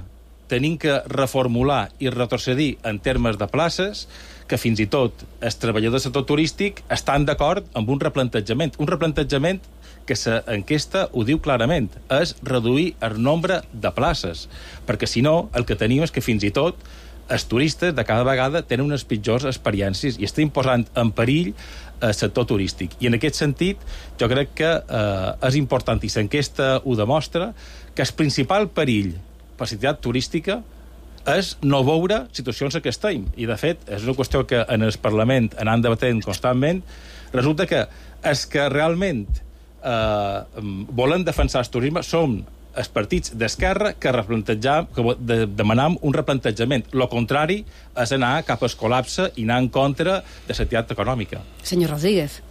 tenim que reformular i retrocedir en termes de places que fins i tot els treballadors del sector turístic estan d'acord amb un replantejament. Un replantejament que l'enquesta ho diu clarament, és reduir el nombre de places, perquè si no el que tenim és que fins i tot
els turistes de cada vegada tenen unes pitjors experiències i estem posant en perill el sector turístic. I en aquest sentit, jo crec que eh, és important, i l'enquesta ho demostra, que el principal perill per la activitat turística és no veure situacions en què estem. I, de fet, és una qüestió que en el Parlament anant debatent constantment. Resulta que els que realment eh, volen defensar el turisme són els partits d'esquerra que, que de, demanam un replantejament. Lo contrari és anar cap al col·lapse i anar en contra de l'activitat econòmica.
Señor Rodríguez.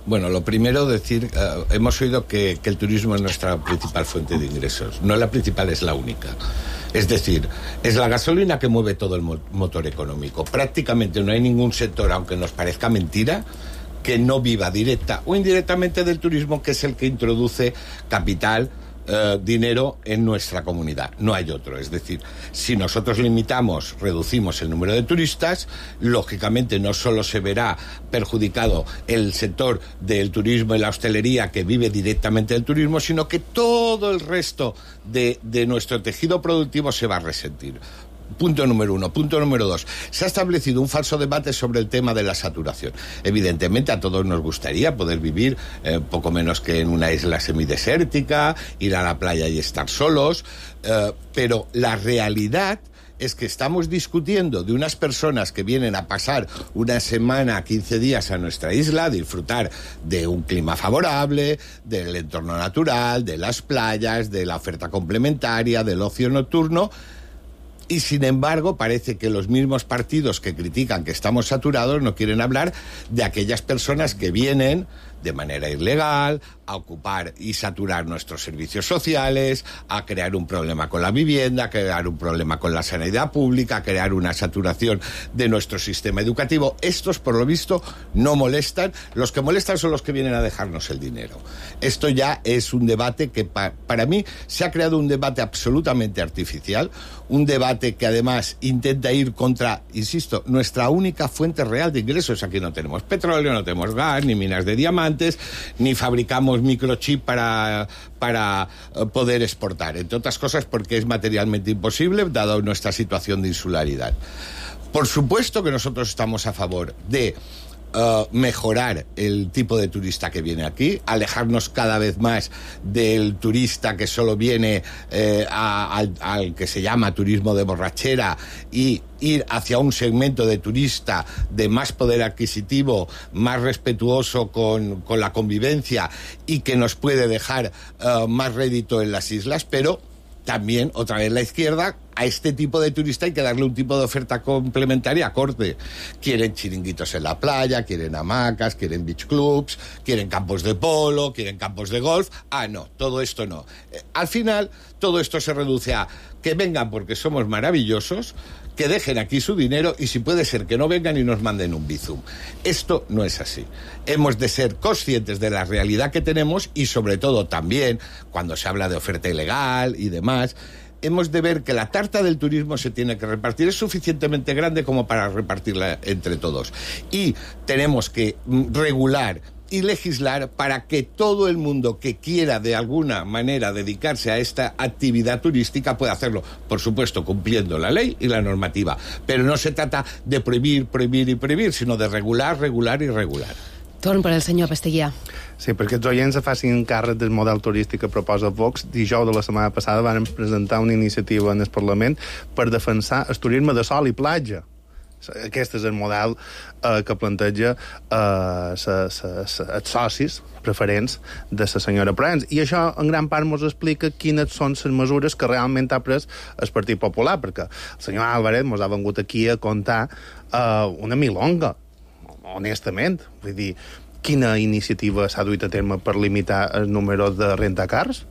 Bueno, lo primero decir, uh, hemos oído que, que el turismo es nuestra principal fuente de ingresos. No la principal, es la única. Es decir, es la gasolina que mueve todo el mo- motor económico. Prácticamente no hay ningún sector, aunque nos parezca mentira, que no viva directa o indirectamente del turismo, que es el que introduce capital, eh, dinero en nuestra comunidad. No hay otro. Es decir, si nosotros limitamos, reducimos el número de turistas, lógicamente no solo se verá perjudicado el sector del turismo y la hostelería, que vive directamente del turismo, sino que todo el resto de, de nuestro tejido productivo se va a resentir. Punto número uno. Punto número dos. Se ha establecido un falso debate sobre el tema de la saturación. Evidentemente a todos nos gustaría poder vivir eh, poco menos que en una isla semidesértica, ir a la playa y estar solos, eh, pero la realidad es que estamos discutiendo de unas personas que vienen a pasar una semana, quince días a nuestra isla, a disfrutar de un clima favorable, del entorno natural, de las playas, de la oferta complementaria, del ocio nocturno. Y, sin embargo, parece que los mismos partidos que critican que estamos saturados no quieren hablar de aquellas personas que vienen de manera ilegal a ocupar y saturar nuestros servicios sociales, a crear un problema con la vivienda, a crear un problema con la sanidad pública, a crear una saturación de nuestro sistema educativo. Estos, por lo visto, no molestan. Los que molestan son los que vienen a dejarnos el dinero. Esto ya es un debate que, pa- para mí, se ha creado un debate absolutamente artificial, un debate que, además, intenta ir contra, insisto, nuestra única fuente real de ingresos. Aquí no tenemos petróleo, no tenemos gas, ni minas de diamantes, ni fabricamos microchip para, para poder exportar, entre otras cosas porque es materialmente imposible dado nuestra situación de insularidad. Por supuesto que nosotros estamos a favor de Uh, mejorar el tipo de turista que viene aquí, alejarnos cada vez más del turista que solo viene eh, a, al, al que se llama turismo de borrachera, y ir hacia un segmento de turista de más poder adquisitivo, más respetuoso con, con la convivencia y que nos puede dejar uh, más rédito en las islas. Pero también, otra vez la izquierda, a este tipo de turista hay que darle un tipo de oferta complementaria acorde. Quieren chiringuitos en la playa, quieren hamacas, quieren beach clubs, quieren campos de polo, quieren campos de golf. Ah, no, todo esto no. Eh, al final, todo esto se reduce a que vengan porque somos maravillosos, que dejen aquí su dinero y, si puede ser, que no vengan y nos manden un bizum. Esto no es así. Hemos de ser conscientes de la realidad que tenemos y, sobre todo, también, cuando se habla de oferta ilegal y demás, hemos de ver que la tarta del turismo se tiene que repartir. Es suficientemente grande como para repartirla entre todos. Y tenemos que regular y legislar para que todo el mundo que quiera de alguna manera dedicarse a esta actividad turística pueda hacerlo, por supuesto cumpliendo la ley y la normativa, pero no se trata de prohibir, prohibir i prohibir, sinó de regular, regular i regular.
Torn per al senyor Pasteguià.
Sí, perquè els oients facin càrrec del model turístic que proposa Vox. Dijous de la setmana passada van presentar una iniciativa en el Parlament per defensar el turisme de sol i platja. Aquest és el model eh, que planteja eh, sa, sa, sa, els socis preferents de la senyora Proens. I això, en gran part, ens explica quines són les mesures que realment ha pres el Partit Popular, perquè el senyor Álvarez ens ha vengut aquí a contar eh, una milonga, honestament. Vull dir, quina iniciativa s'ha duit a terme per limitar el número de rentacars?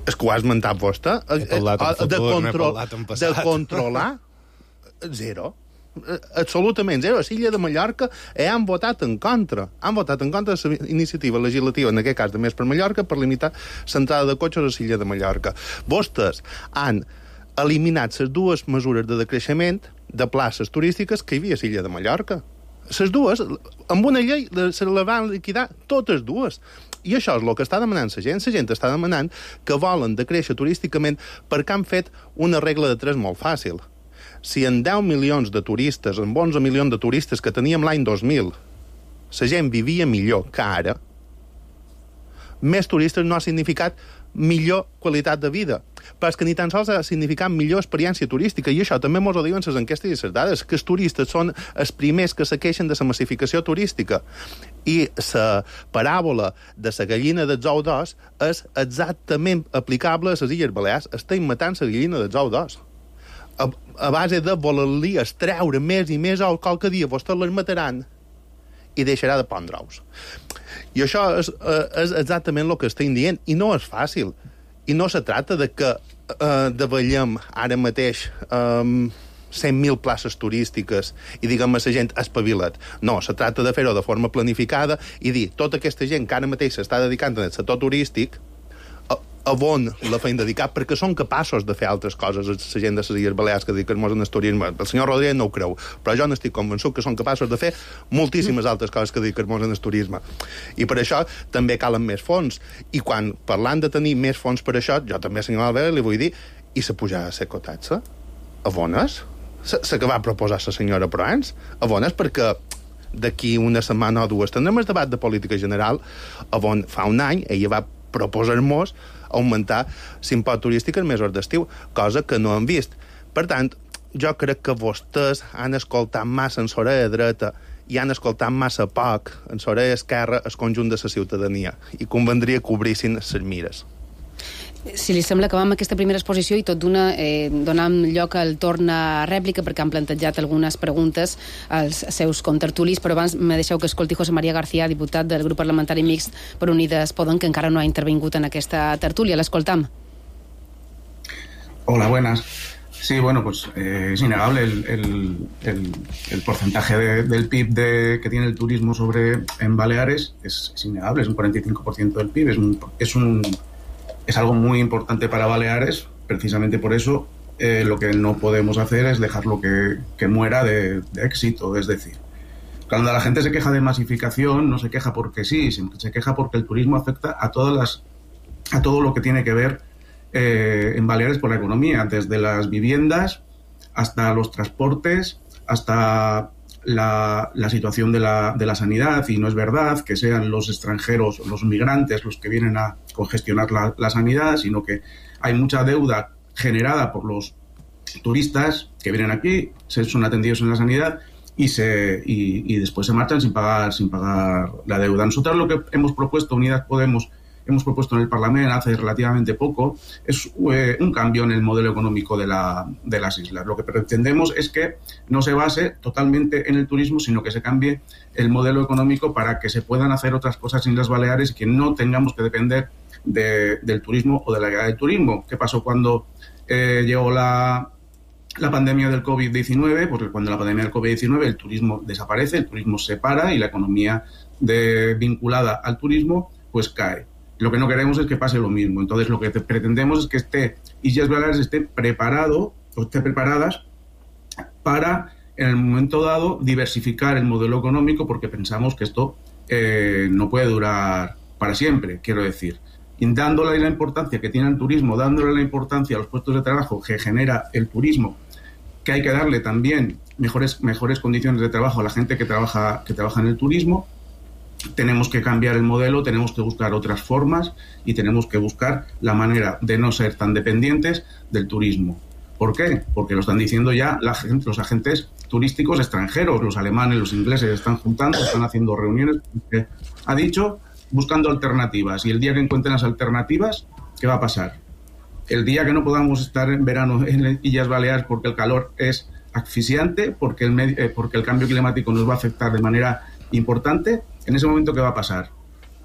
És que ho has esmentat vostè?
He parlat en futur, n'he parlat en passat.
De controlar? Zero. Absolutament zero. A l'illa de Mallorca eh, han votat en contra. Han votat en contra de la iniciativa legislativa, en aquest cas de Més per Mallorca, per limitar l'entrada de cotxes a l'illa de Mallorca. Vostès han eliminat les dues mesures de decreixement de places turístiques que hi havia a l'illa de Mallorca. Les dues, amb una llei, se les van liquidar totes dues. I això és el que està demanant la gent. La gent està demanant que volen decréixer turísticament perquè han fet una regla de tres molt fàcil. Si en deu milions de turistes, en onze milions de turistes que teníem l'any dos mil, la gent vivia millor que ara, més turistes no ha significat millor qualitat de vida, però és que ni tan sols ha significat millor experiència turística, i això també mos ho diuen les enquestes i les dades, que els turistes són els primers que se queixen de la massificació turística. I la paràbola de la gallina dels ous d'os és exactament aplicable a les Illes Balears. Estem matant la gallina dels ous d'os. A, a base de voler-li extreure més i més ous, qualque dia vostès les mataran i deixarà de pondre ous. I això és, és exactament el que estem dient, i no és fàcil. I no se tracta de que eh, davallem ara mateix eh, cent mil places turístiques i diguem a la gent espavila't. No, se tracta de fer-ho de forma planificada i dir, tota aquesta gent que ara mateix s'està dedicant al sector turístic, a, a on la feien dedicar, perquè són capaços de fer altres coses, la gent de les Illes Balears que dediquen-nos al turisme. El senyor Rodríguez no ho creu, però jo n'estic convençut que són capaços de fer moltíssimes altres coses que dediquen-nos al turisme. I per això també calen més fons. I quan parlant de tenir més fons per això, jo també, senyor Albert, li vull dir, i la pujada de la cotatxa? A bones? La que va proposar la senyora Proens? A bones? Perquè d'aquí una setmana o dues tindrem el debat de política general, on fa un any ella va proposar-nos augmentar l'impost turístic els mesos d'estiu, cosa que no hem vist. Per tant, jo crec que vostès han escoltat massa en l'orella dreta i han escoltat massa poc en l'orella esquerra el conjunt de la ciutadania, i convendria que obrissin les mires.
Si li sembla, acabam aquesta primera exposició i tot d'una eh, donant lloc al torn a rèplica, perquè han plantejat algunes preguntes als seus contertulis, però abans me deixeu que escolti José María García, diputat del grup parlamentari mixt per Unides Podem, que encara no ha intervingut en aquesta tertúlia. L'escoltam.
Hola, buenas. Sí, bueno, pues eh, es innegable el, el, el, el porcentaje de, del P I B de, que tiene el turismo sobre en Baleares, es, es innegable, es un cuarenta y cinco por ciento del P I B, es un... Es un Es algo muy importante para Baleares, precisamente por eso eh, lo que no podemos hacer es dejarlo que, que muera de, de éxito. Es decir, cuando la gente se queja de masificación, no se queja porque sí, se queja porque el turismo afecta a todas las, a todo lo que tiene que ver eh, en Baleares con la economía, desde las viviendas hasta los transportes, hasta La, la situación de la, de la sanidad, y no es verdad que sean los extranjeros, los migrantes, los que vienen a congestionar la, la sanidad, sino que hay mucha deuda generada por los turistas que vienen aquí, se son atendidos en la sanidad y, se, y, y después se marchan sin pagar, sin pagar la deuda. Nosotros lo que hemos propuesto, Unidas Podemos, hemos propuesto en el Parlamento hace relativamente poco, es eh, un cambio en el modelo económico de, la, de las islas. Lo que pretendemos es que no se base totalmente en el turismo, sino que se cambie el modelo económico para que se puedan hacer otras cosas en las Baleares y que no tengamos que depender de, del turismo o de la guía del turismo. ¿Qué pasó cuando eh, llegó la, la pandemia del COVID diecinueve? Porque cuando la pandemia del COVID diecinueve el turismo desaparece, el turismo se para y la economía de, vinculada al turismo pues cae. Lo que no queremos es que pase lo mismo. Entonces, lo que pretendemos es que esté Illes Baleares esté preparado o esté preparadas para, en el momento dado, diversificar el modelo económico, porque pensamos que esto eh, no puede durar para siempre, quiero decir. Y dándole la importancia que tiene el turismo, dándole la importancia a los puestos de trabajo que genera el turismo, que hay que darle también mejores, mejores condiciones de trabajo a la gente que trabaja, que trabaja en el turismo. Tenemos que cambiar el modelo, tenemos que buscar otras formas y tenemos que buscar la manera de no ser tan dependientes del turismo. ¿Por qué? Porque lo están diciendo ya la gente, los agentes turísticos extranjeros, los alemanes, los ingleses, están juntando, están haciendo reuniones. Ha dicho, buscando alternativas. Y el día que encuentren las alternativas, ¿qué va a pasar? El día que no podamos estar en verano en Illes Baleares porque el calor es asfixiante, porque el, medio, eh, porque el cambio climático nos va a afectar de manera importante, en ese momento, ¿qué va a pasar?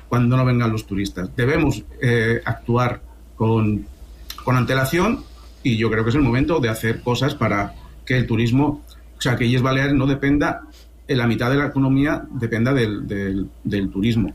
Cuando no vengan los turistas. Debemos eh, actuar con, con antelación, y yo creo que es el momento de hacer cosas para que el turismo, o sea, que Illes Baleares no dependa, en la mitad de la economía dependa del, del, del turismo.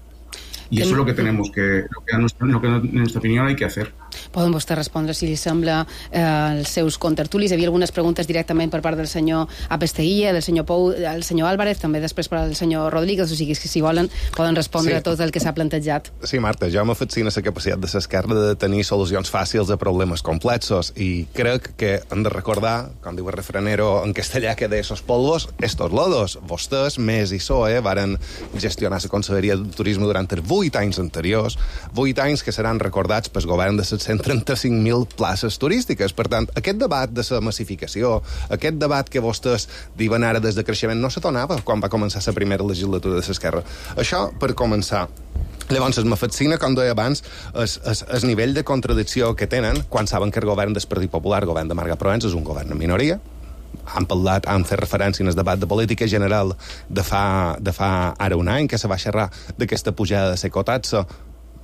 Y eso es lo que tenemos que, lo que, a nuestra, lo que en nuestra opinión hay que hacer.
Poden vostès respondre, si li sembla, eh, els seus contertulis. Hi havia algunes preguntes directament per part del senyor Apesteguilla, del senyor Pou, del senyor Álvarez, també després per al senyor Rodríguez, o sigui que si volen poden respondre sí. a tot el que s'ha plantejat.
Sí, Marta, jo m'afascina la capacitat de l'esquerra de tenir solucions fàcils a problemes complexos i crec que hem de recordar, com diu el refranero en castellà que de esos polvos, estos lodos. Vostès, Més i P S O E, varen gestionar la Conselleria de Turisme durant els vuit anys anteriors, vuit anys que seran recordats pel govern de les cent trenta-cinc mil places turístiques. Per tant, aquest debat de la massificació, aquest debat que vostès diuen ara des de creixement, no se donava quan va començar la primera legislatura de l'esquerra. Això, per començar. Llavors, me fascina, com deia abans, el nivell de contradicció que tenen quan saben que el govern del Partit Popular, el govern de Marga Provenç, és un govern en minoria. Han parlat, han fet referència en el debat de política general de fa, de fa ara un any, que se va xerrar d'aquesta pujada de l'ecotaxa.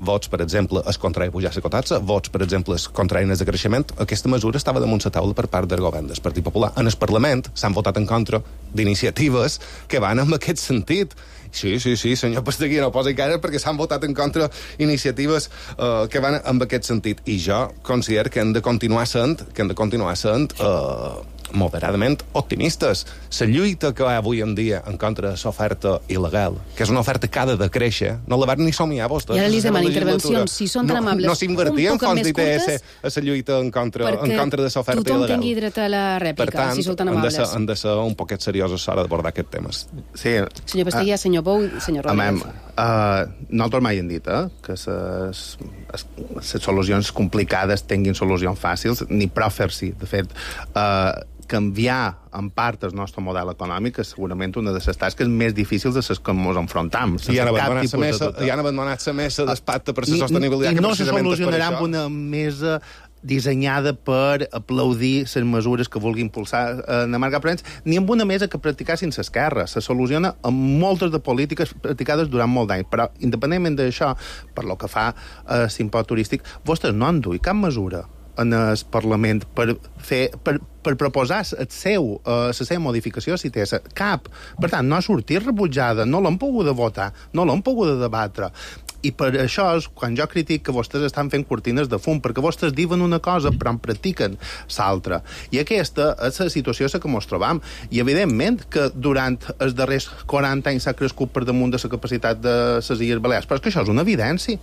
Vots, per exemple, es contrari pujar l'ecotaxa, vots, per exemple, es contrari de creixement. Aquesta mesura estava damunt la taula per part del govern del Partit Popular. En el Parlament s'han votat en contra d'iniciatives que van en aquest sentit. Sí, sí, sí, senyor Pasteguí, no posi cara perquè s'han votat en contra iniciatives uh, que van en aquest sentit. I jo considero que hem de continuar sent, que hem de continuar sent uh, moderadament optimistes. La lluita que hi ha avui en dia en contra de l'oferta il·legal, que és una oferta que ha de decréixer, no la van ni somiar vostès.
I ara li demano intervencions, si són tan amables.
No, no s'invertien fons d'I T S a la lluita en contra, en contra de l'oferta il·legal.
Perquè tothom tingui dret a la rèplica,
per tant,
si són tan amables.
Per tant, han de ser un poquet seriosos a l'hora d'abordar aquest tema.
Sí.
Senyor Pasteguilla, senyor Pou, senyor Rodríguez.
Uh, nosaltres mai hem dit eh, que les solucions complicades tinguin solucions fàcils, ni prou fer-s'hi. De fet, uh, canviar en part el nostre model econòmic és segurament una de les tasques més difícils de les que ens enfrontam.
I han abandonat la mesa, i han abandonat la mesa d'espacte per la sostenibilitat.
I no se solucionarà amb una mesa dissenyada per aplaudir les mesures que vulgui impulsar eh, Marga Provenç, ni amb una mesa que practicassin l'esquerra. Se soluciona amb moltes de polítiques practicades durant molt d'anys. Però, independentment d'això, per lo que fa a eh, l'impost turístic, vostès no han duit cap mesura en el Parlament per fer... Per, per proposar el seu, eh, la seva modificació, si té cap. Per tant, no ha sortit rebutjada, no l'han pogut votar, no l'han pogut debatre. I per això és quan jo critic que vostès estan fent cortines de fum, perquè vostès diuen una cosa però en practiquen l'altra. I aquesta és la situació que ens trobam. I evidentment que durant els darrers quaranta anys s'ha crescut per damunt de la capacitat de les Illes Balears, però és que això és una evidència.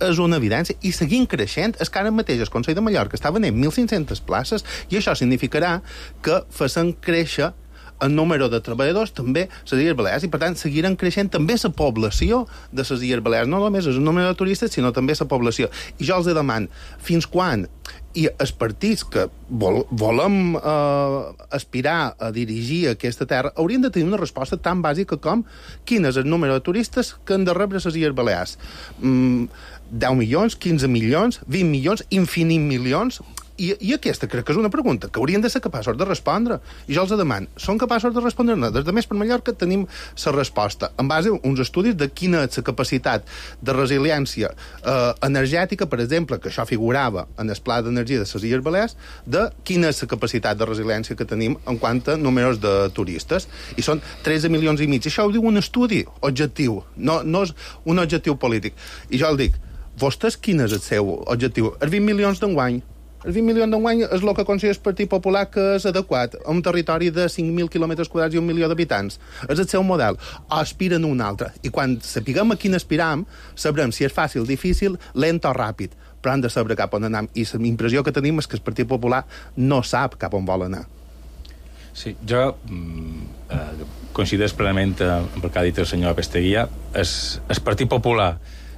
És una evidència, i seguint creixent. És que ara mateix el Consell de Mallorca està venent mil cinc-centes places, i això significarà que facin créixer el número de treballadors també les Illes Balears, i per tant seguiran creixent també la població de les Illes Balears, no només el número de turistes sinó també la població. I jo els demano, fins quan i els partits que vol, volem eh, aspirar a dirigir aquesta terra haurien de tenir una resposta tan bàsica com quin és el número de turistes que han de rebre les Illes Balears. Mm, deu milions, quinze milions, vint milions, infinit milions. I, I aquesta crec que és una pregunta que haurien de ser capaços de respondre. I jo els demano, són capaços de respondre-ne? Des de Més per Mallorca tenim la resposta en base a uns estudis de quina és la capacitat de resiliència eh, energètica, per exemple, que això figurava en el pla d'energia de les Illes Balears, de quina és la capacitat de resiliència que tenim en quant a números de turistes. I són tretze milions i mig. Això ho diu un estudi objectiu, no, no és un objectiu polític. I jo el dic, vostès quin és el seu objectiu? Els vint milions d'enguany. Els vint milions d'enguany és el que considera el Partit Popular que és adequat a un territori de cinc mil quilòmetres quadrats i un milió d'habitants. És el seu model. O aspiren a un altre. I quan sapiguem a quin aspiram, sabrem si és fàcil, difícil, lent o ràpid. Però han de saber cap on anar. I la impressió que tenim és que el Partit Popular no sap cap on vol anar.
Sí, jo eh, coincideix plenament amb el que ha dit el senyor Apesteguilla. El, el Partit Popular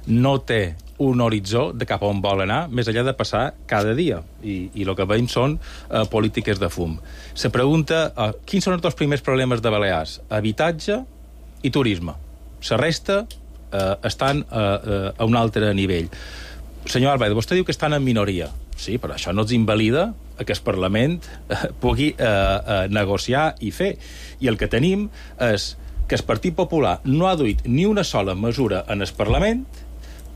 no té un horitzó de cap on vol anar, més enllà de passar cada dia. I, i el que veiem són uh, polítiques de fum. Se pregunta uh, quins són els dos primers problemes de Balears? Habitatge i turisme. La resta uh, estan uh, uh, a un altre nivell. Senyor Álvarez, vostè diu que estan en minoria. Sí, però això no ens invalida que el Parlament uh, pugui uh, uh, negociar i fer. I el que tenim és que el Partit Popular no ha duit ni una sola mesura en el Parlament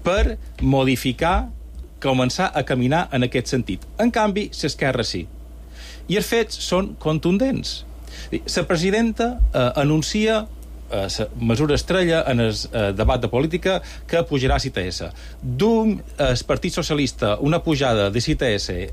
per modificar, començar a caminar en aquest sentit. En canvi, l'esquerra sí. I els fets són contundents. La presidenta eh, anuncia eh, mesura estrella en el eh, debat de política que pujarà l'I T S. D'un el Partit Socialista una pujada de l'I T S eh,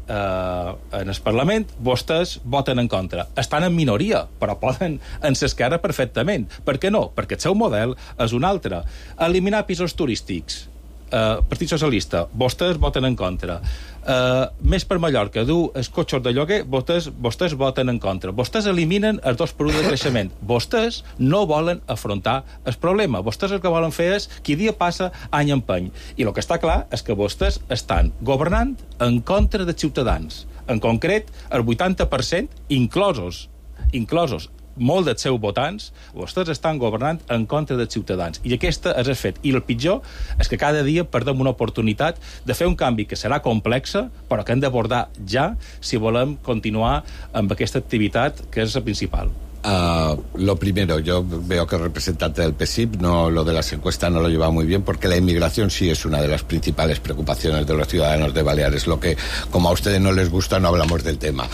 en el Parlament, vostès voten en contra. Estan en minoria, però poden en l'esquerra perfectament. Per què no? Perquè el seu model és un altre. Eliminar pisos turístics. Uh, Partit Socialista, vostès voten en contra. Uh, més per Mallorca, dur els cotxes de lloguer, vostès, vostès voten en contra. Vostès eliminen els dos per un de creixement. Vostès no volen afrontar el problema. Vostès el que volen fer és qui dia passa, any empeny. I el que està clar és que vostès estan governant en contra dels ciutadans. En concret, el vuitanta per cent, inclosos, inclosos molt dels seus votants, vostès estan governant en contra dels ciutadans. I aquesta és el fet. I el pitjor és que cada dia perdem una oportunitat de fer un canvi que serà complexa, però que hem d'abordar ja si volem continuar amb aquesta activitat que és la principal.
Uh, lo primero, yo veo que el representante del P S I P, no, lo de las encuestas no lo lleva muy bien, porque la inmigración sí es una de las principales preocupaciones de los ciudadanos de Baleares. Lo que, como a ustedes no les gusta, no hablamos del tema.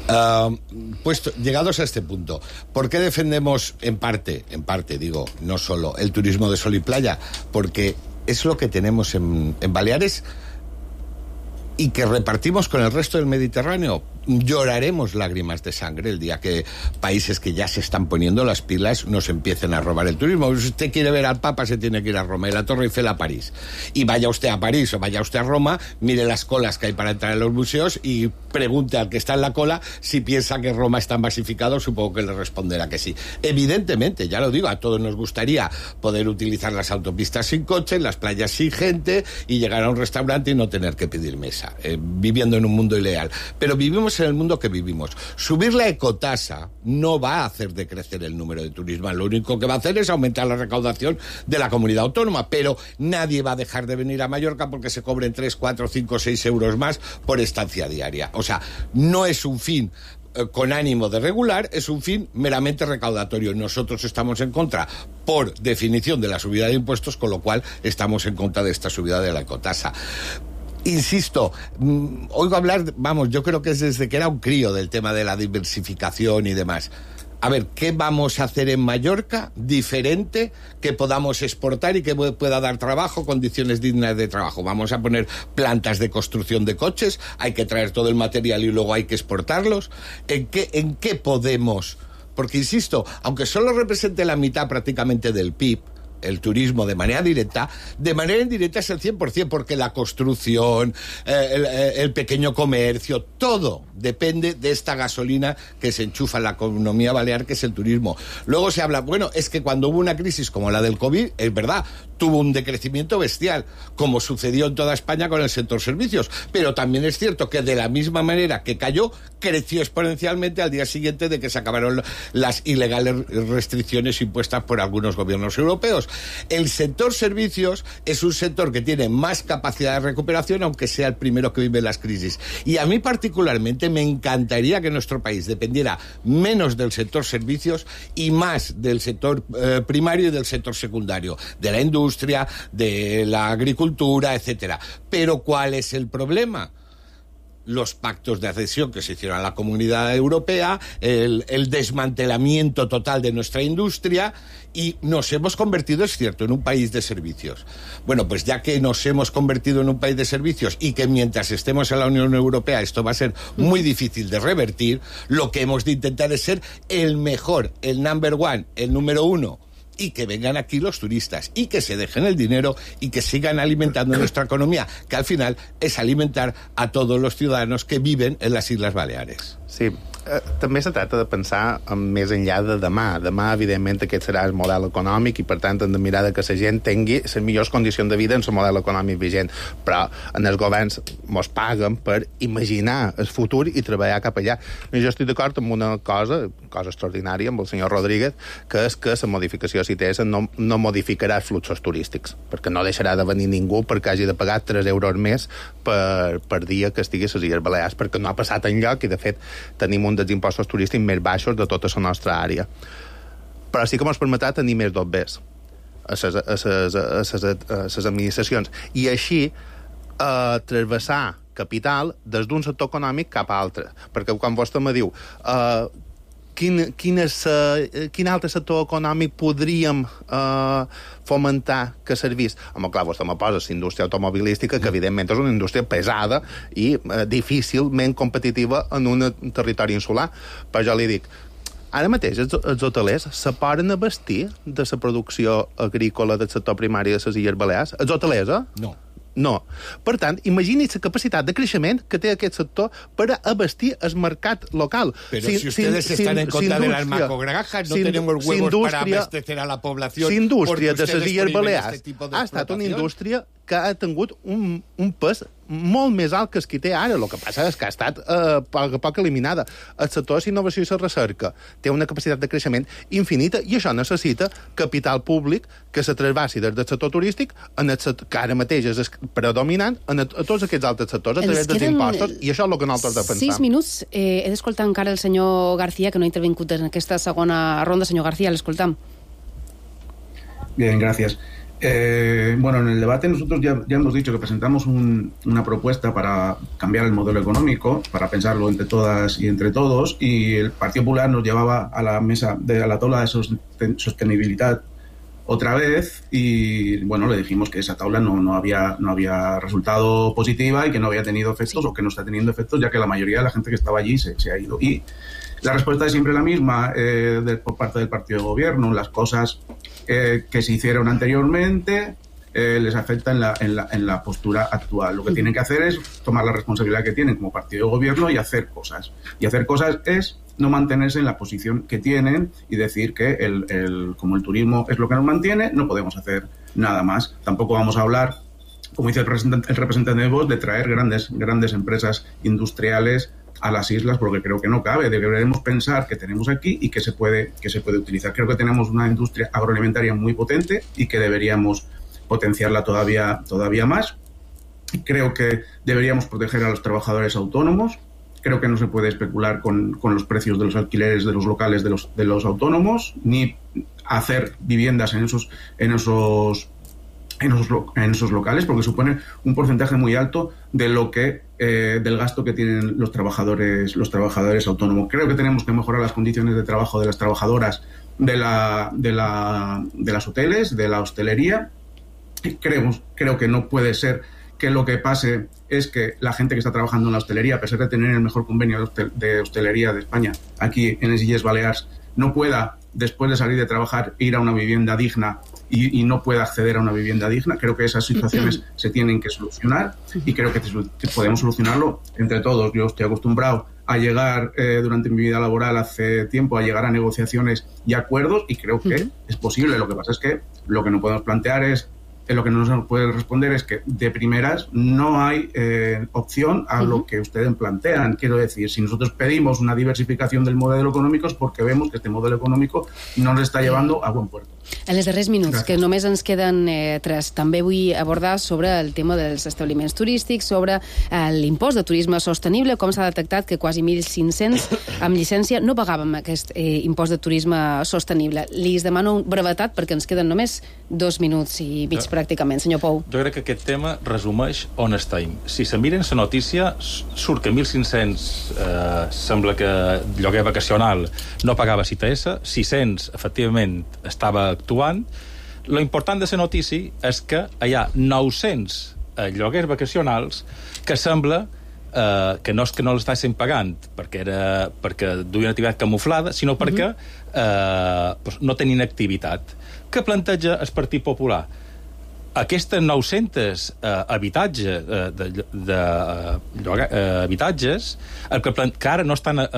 Uh, puesto, llegados a este punto, ¿por qué defendemos en parte, en parte digo, no solo el turismo de sol y playa? Porque es lo que tenemos en, en Baleares y que repartimos con el resto del Mediterráneo. Lloraremos lágrimas de sangre el día que países que ya se están poniendo las pilas nos empiecen a robar el turismo. Si usted quiere ver al Papa, se tiene que ir a Roma, y la Torre Eiffel a París. Y vaya usted a París o vaya usted a Roma, mire las colas que hay para entrar en los museos y pregunte al que está en la cola si piensa que Roma está masificado. Supongo que le responderá que sí. Evidentemente, ya lo digo, a todos nos gustaría poder utilizar las autopistas sin coche, las playas sin gente y llegar a un restaurante y no tener que pedir mesa, eh, viviendo en un mundo ideal. Pero vivimos en el mundo que vivimos. Subir la ecotasa no va a hacer decrecer el número de turismo. Lo único que va a hacer es aumentar la recaudación de la comunidad autónoma, pero nadie va a dejar de venir a Mallorca porque se cobren tres, cuatro, cinco, seis euros más por estancia diaria. O sea, no es un fin eh, con ánimo de regular, es un fin meramente recaudatorio. Nosotros estamos en contra, por definición, de la subida de impuestos, con lo cual estamos en contra de esta subida de la ecotasa. Insisto, mmm, oigo hablar, vamos, yo creo que es desde que era un crío del tema de la diversificación y demás. A ver, ¿qué vamos a hacer en Mallorca diferente que podamos exportar y que pueda dar trabajo, condiciones dignas de trabajo? Vamos a poner plantas de construcción de coches, hay que traer todo el material y luego hay que exportarlos. ¿En qué, en qué podemos? Porque, insisto, aunque solo represente la mitad prácticamente del P I B, el turismo de manera directa, de manera indirecta es el cien por ciento, porque la construcción, eh, el, el pequeño comercio, todo depende de esta gasolina que se enchufa en la economía balear, que es el turismo. Luego se habla, bueno, es que cuando hubo una crisis como la del COVID, es verdad, tuvo un decrecimiento bestial, como sucedió en toda España con el sector servicios, pero también es cierto que de la misma manera que cayó, creció exponencialmente al día siguiente de que se acabaron las ilegales restricciones impuestas por algunos gobiernos europeos. El sector servicios es un sector que tiene más capacidad de recuperación, aunque sea el primero que vive las crisis. Y a mí particularmente me encantaría que nuestro país dependiera menos del sector servicios y más del sector eh, primario y del sector secundario, de la industria, de la agricultura, etcétera. Pero ¿cuál es el problema? Los pactos de adhesión que se hicieron a la Comunidad Europea, el, el desmantelamiento total de nuestra industria, y nos hemos convertido, es cierto, en un país de servicios. Bueno, pues ya que nos hemos convertido en un país de servicios y que mientras estemos en la Unión Europea esto va a ser muy difícil de revertir, lo que hemos de intentar es ser el mejor, el number one, el número uno, y que vengan aquí los turistas y que se dejen el dinero y que sigan alimentando nuestra economía, que al final es alimentar a todos los ciudadanos que viven en las Islas Baleares.
Sí, eh, també se tracta de pensar en més enllà de demà. Demà, evidentment, aquest serà el model econòmic i, per tant, hem de mirar que la gent tingui les millors condicions de vida en el model econòmic vigent. Però en els governs mos paguen per imaginar el futur i treballar cap allà. I jo estic d'acord amb una cosa, cosa extraordinària, amb el senyor Rodríguez, que és que la modificació C I T S no, no modificarà els fluxos turístics, perquè no deixarà de venir ningú perquè hagi de pagar tres euros més per, per dia que estigui a les Illes Balears, perquè no ha passat enlloc i, de fet, tenim un dels impostos turístics més baixos de tota la nostra àrea. Però sí que ens permetrà tenir més dobbers a les administracions i així eh, transversar capital des d'un sector econòmic cap a altre. Perquè quan vostè me diu eh, quin, quin, és, uh, quin altre sector econòmic podríem uh, fomentar que servís? Home, clar, vostè me posa la indústria automobilística, que evidentment és una indústria pesada i uh, difícilment competitiva en un territori insular. Però jo li dic, ara mateix els, els hotelers se poden abastir de la producció agrícola del sector primari de les Illes Balears? Els hotelers, eh?
No.
No. Per tant, imagini la capacitat de creixement que té aquest sector per abastir el mercat local.
Pero si, si ustedes si, están si, en contra de las macrogranjas, no si, tenemos huevos para abastecer a la población.
La indústria de les Illes Balears este ha estat una indústria que ha tingut un, un pes molt més alt que el que té ara. El que passa és que ha estat eh, poc, poc eliminada. El sector de innovació i la recerca té una capacitat de creixement infinita i això necessita capital públic que se trasbassi des del sector turístic, en el sector, que ara mateix és predominant, en a, a tots aquests altres sectors, a través dels impostos, i això és el que nosaltres defensam.
Sis minuts. Eh, he d'escoltar encara el senyor García, que no ha intervingut en aquesta segona ronda. Senyor García, l'escoltam.
Bien, gracias. Eh, bueno, en el debate nosotros ya, ya hemos dicho que presentamos un, una propuesta para cambiar el modelo económico, para pensarlo entre todas y entre todos, y el Partido Popular nos llevaba a la mesa, de, a la tabla de sostenibilidad otra vez, y bueno, le dijimos que esa tabla no, no, había, no había resultado positiva y que no había tenido efectos, o que no está teniendo efectos, ya que la mayoría de la gente que estaba allí se, se ha ido. Y la respuesta es siempre la misma eh, de, por parte del partido de gobierno. Las cosas eh, que se hicieron anteriormente eh, les afectan en la, en, la, en la postura actual. Lo que tienen que hacer es tomar la responsabilidad que tienen como partido de gobierno y hacer cosas. Y hacer cosas es no mantenerse en la posición que tienen y decir que el, el, como el turismo es lo que nos mantiene, no podemos hacer nada más. Tampoco vamos a hablar, como dice el representante, el representante de Vox, de traer grandes, grandes empresas industriales a las islas, porque creo que no cabe. Deberemos pensar que tenemos aquí y que se puede, que se puede utilizar. Creo que tenemos una industria agroalimentaria muy potente y que deberíamos potenciarla todavía, todavía más. Creo que deberíamos proteger a los trabajadores autónomos. Creo que no se puede especular con, con los precios de los alquileres de los locales de los, de los autónomos, ni hacer viviendas en esos, en esos En esos, en esos locales, porque supone un porcentaje muy alto de lo que eh, del gasto que tienen los trabajadores los trabajadores autónomos. Creo que tenemos que mejorar las condiciones de trabajo de las trabajadoras de la de la de las hoteles, de la hostelería. Creo, creo que no puede ser que lo que pase es que la gente que está trabajando en la hostelería, a pesar de tener el mejor convenio de, hostel, de hostelería de España aquí en las Illes Balears, no pueda, después de salir de trabajar, ir a una vivienda digna y, y no pueda acceder a una vivienda digna. Creo que esas situaciones se tienen que solucionar y creo que, que podemos solucionarlo entre todos. Yo estoy acostumbrado a llegar eh, durante mi vida laboral hace tiempo, a llegar a negociaciones y acuerdos, y creo que uh-huh. es posible. Lo que pasa es que lo que no podemos plantear es, eh, lo que no nos puede responder es que de primeras no hay eh, opción a uh-huh. lo que ustedes plantean. Quiero decir, si nosotros pedimos una diversificación del modelo económico es porque vemos que este modelo económico no nos está llevando a buen puerto.
En els darrers minuts,
Gràcies.
que només ens queden eh, tres, també vull abordar sobre el tema dels establiments turístics, sobre eh, l'impost de turisme sostenible, com s'ha detectat que quasi mil cinc-cents amb llicència no pagàvem aquest eh, impost de turisme sostenible. Li demano brevetat perquè ens queden només dos minuts i mig jo, pràcticament. Senyor Pou.
Jo crec que aquest tema resumeix on estem. Si se miren la notícia, surt que mil cinc-cents eh, sembla que lloguer vacacional no pagava C T S, sis-cents efectivament estava actuant. Lo important de la notícia és que hi ha nou-cents eh, lloguers vacacionals que sembla eh, que no és que no l'estessin pagant perquè, era, perquè duien activitat camuflada, sinó perquè eh, doncs no tenien activitat. Què planteja el Partit Popular? Aquestes nou-cents eh, habitatges, eh, de, de, lloga, eh, habitatges el que, plant, que ara no estan eh,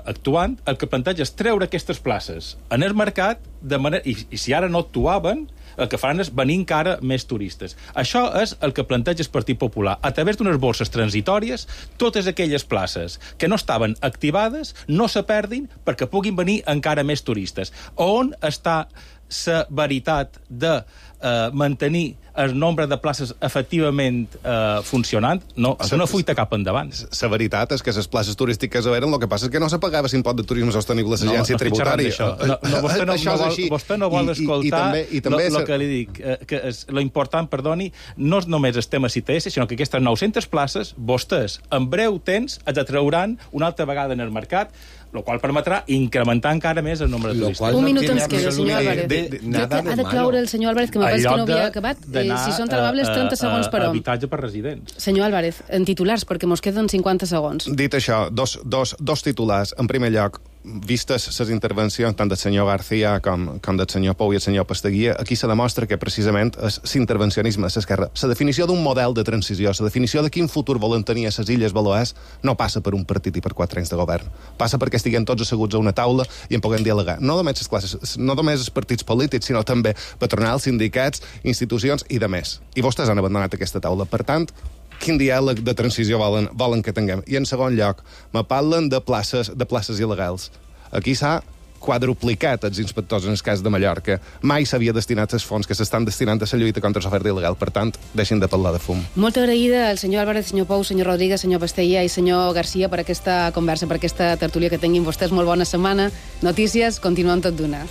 actuant, el que planteja és treure aquestes places en el mercat de manera, i, i si ara no actuaven, el que faran és venir encara més turistes. Això és el que planteja el Partit Popular. A través d'unes borses transitòries, totes aquelles places que no estaven activades no se perdin perquè puguin venir encara més turistes. On està la veritat de eh, mantenir el nombre de places efectivament eh, funcionant, no, és una fuita cap endavant.
La veritat és que les places turístiques eren, el que passa és que no se pagava l'impost de turisme sostenible a l'agència
no, no
tributària.
No, no, vostè no,
això
no,
és
vol,
així.
vostè no vol
I,
escoltar el
ser...
que li dic, eh, que és, lo important, perdoni, no és només el tema C T S, sinó que aquestes nou-centes places, vostès en breu temps es atrauran una altra vegada en el mercat, el qual permetrà incrementar encara més el nombre de turistes.
Un minut ens queda, senyor Álvarez.
De, de,
Crec que ha de cloure el senyor Álvarez, que me pensa que no havia acabat. Eh, si són tan amables, trenta segons per hom.
Habitatge per residents.
Senyor Álvarez, en titulars, perquè mos queden cinquanta segons.
Dit això, dos, dos, dos titulars. En primer lloc, vistes les intervencions tant del senyor García com, com del senyor Pou i el senyor Pastaguia, aquí se demostra que precisament és l'intervencionisme a l'esquerra. La definició d'un model de transició, la definició de quin futur volen tenir a les Illes Balears, no passa per un partit i per quatre anys de govern. Passa perquè estiguem tots asseguts a una taula i en puguem dialogar. No només les classes, no només els partits polítics, sinó també patronals, sindicats, institucions i de més. I vostès han abandonat aquesta taula. Per tant, quin diàleg de transició volen, volen que tinguem? I en segon lloc, me parlen de places, de places il·legals. Aquí s'ha quadruplicat els inspectors en el cas de Mallorca. Mai s'havia destinat els fons que s'estan destinant a la lluita contra l'oferta il·legal. Per tant, deixin de parlar de fum.
Molt agraïda al senyor Álvarez, senyor Pou, senyor Rodríguez, senyor Pasteia i senyor García per aquesta conversa, per aquesta tertúlia que tinguin vostès. Molt bona setmana. Notícies, continuem tot d'una.